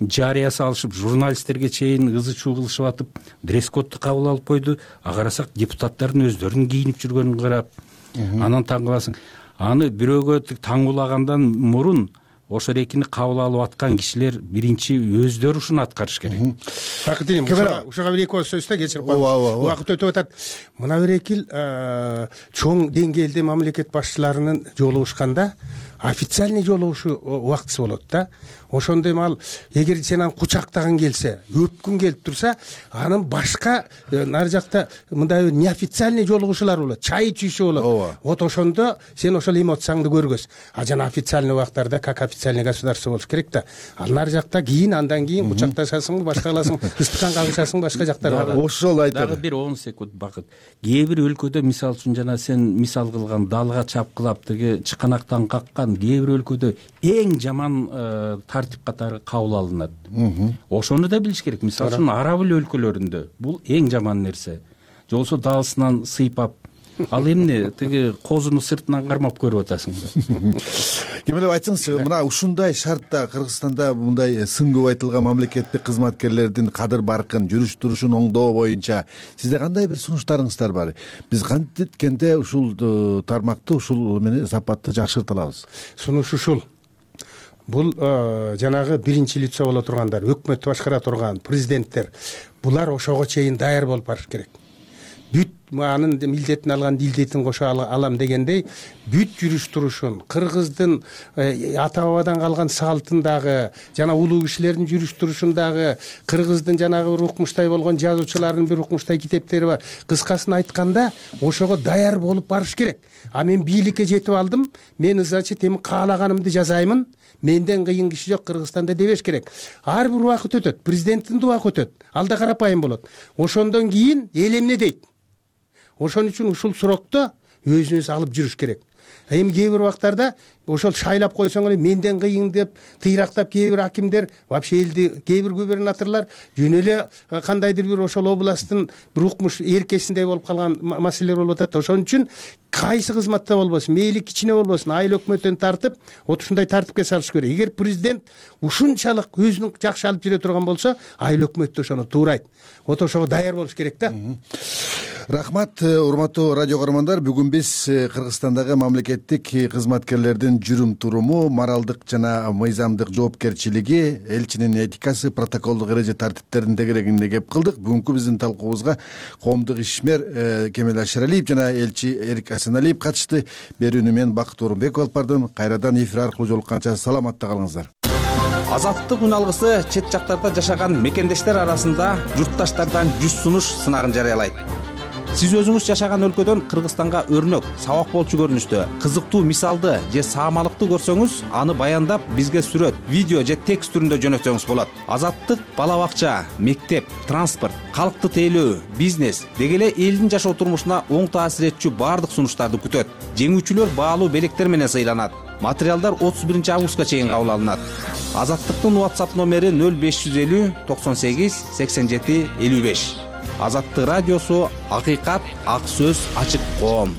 Speaker 11: жарыя салышып, журналисттерге чейин ызы-чуу кылышып атып, дресс-кодду кабыл алып койду. Карасак, депутаттардын өздөрүнүн кийинип жүргөнүн карап, анан таң каласың. Аны бирөөгө таңгулагандан мурун ошол эркини кабыл алып аткан кишилер биринчи өздөрү ушуну аткарыш керек.
Speaker 4: Бакыт элем, ушуга бир эки ооз сөзсө кечирип коеюн. Убакыт өтүп атат. Мына бир экил чоң деңгээлде мамлекет башчыларынын жолугушканда официальный жолугушуу убактысы болот да. Ошондо эми ал эгер сен аны кучактагың келсе, өпкүң келип турса, анын башка нары жакта мындай неофициальный жолугушуулар болот, чай ичүүчү болот. Вот ошондо сен ошол эмоцияңды көргөз. Жана официальный убактарда как официальный государство болуш керек да. Ал нары жакта кийин, андан кийин кучакташасыңбы, башка кыласың, ыстыккан кагышасың, башка жактар бар.
Speaker 2: Ошол айтат.
Speaker 11: Дагы бир 10 секунд Бакыт. Кээ бир өлкөдө мисалы үчүн жана сен мисал кылган далга чапкылап тиги чыканактан каккан кээ бир өлкөдө эң жаман тартип катары кабыл алынат. Ошону да билиш керек. Мисалы үчүн араб өлкөлөрүндө бул эң жаман нерсе. Же болбосо даасынан сыйпап, ал эмне тиги козуну сыртынан кармап көрүп атасың.
Speaker 2: Кемелеп айтсаңызчы, мына ушундай шартта Кыргызстанда мындай сын көп айтылган мамлекеттик кызматкерлердин кадыр баркын, жүрүш турушун оңдоо боюнча сизде кандай бир сунуштарыңыздар бар? Биз кантиткенде ушул тармакты, ушул менен сапатты жакшырта алабыз?
Speaker 4: Сунуш ушул. Бул жанагы биринчи лицо боло тургандар, өкмөттү башкара турган президенттер, булар ошого чейин даяр болуп барыш керек. Бүт анын милдетин алган дилдетин кошо алам дегендей, бүт жүрүш турушун, кыргыздын ата бабадан калган салтындагы, жана улуу кишилердин жүрүш турушундагы, кыргыздын жанагы бир укмуштай болгон жазуучулардын бир укмуштай китептери бар. Кыскасын айтканда, ошого даяр болуп барыш керек. Мен бийликке жетип алдым, мен значит эми каалаганымды жазаймын. Менден кыйын киши жок Кыргызстанда дебеш керек. Ар бир убакыт өтөт, президенттин убакыт өтөт. Ал да карапайым болот. Ошондон кийин эл эмне дейт? Ошон үчүн ушул сурокто өзүнүз алып жүрүш керек. Эми кээ бир убактарда ошол шайлап койсоң эле менден кыйын деп тыйрактап кээ бир акимдер, вообще элди кээ бир губернаторлор жөн эле кандайдыр бир ошол областтын бир укмуш эркесиндей болуп калган маселелер болуп атат. Ошон үчүн кайсы кызматта болбосун, мейли кичине болбосун, айыл өкмөттөн тартып ушундай тартипке салыш керек. Эгер президент ушунчалык өзүнүн жакшы алып жүрө турган болсо, айыл өкмөт ошону туурайт. Ошого даяр болуш керек да.
Speaker 2: Рахмат, урматтуу радио көрөрмандар. Бүгүн биз Кыргызстандагы мамлекеттик кызматкерлердин жүрүм туруму, моралдык жана мыйзамдык жоопкерчилиги, элчинин этикасы, протоколдук эреже тартиптерин тегерегинде кеп кылдык. Бүгүнкү биздин талкуубузга коомдук ишмер Кемел Ашыралиев жана элчи Эрик Асаналиев катышты. Берүүнү мен Бакыт Орунбеков алып бардым. Кайрадан эфир аркылуу жолукканча саламатта калыңыздар.
Speaker 12: Азаттык үн алгысы чет жактарда жашаган мекендештер арасында журтташтардан 100 сунуш сынагын жарыялайт. Сиз өзүңүз жашаган өлкөдөн Кыргызстанга өрнөк, сабак болчу көрүнүштө, кызыктуу мисалды же саамалыкты көрсөңүз, аны баяндап бизге сүрөт, видео же текст түрүндө жөнөтсөңүз болот. Азаттык бала бакча, мектеп, транспорт, калкты тейлөө, бизнес деги эле элдин жашоо турмушуна оң таасир этчү баардык сунуштарды күтөт. Жеңүүчүлөр баалуу белектер менен сыйланат. Материалдар 31 августка чейин кабыл алынат. Азаттыктын WhatsApp номери 0550 98 87 55. Азаттык радиосу, акыйкат, ак сөз, ачык коом.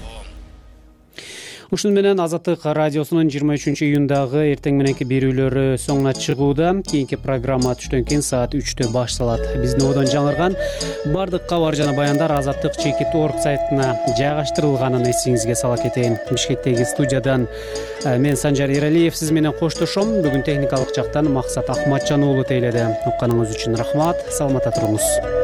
Speaker 1: Ушуну менен Азаттык радиосунун 23-июндагы эртең мененки берүүлөрү соңуна чыгууда. Кийинки программа түштөн кийин саат 3-тө башталат. Биздин одон жаңырган бардык кабар жана баяндар Азаттык @org сайтына жайгаштырылганын эсиңизге сала кетейин. Бишкектеги студиядан мен Санжар Эралиев сиз менен коштошом. Бүгүн техникалык жактан Максат Акматжан уулу тейледи. Укканыңыз үчүн рахмат. Саламатта туруңуз.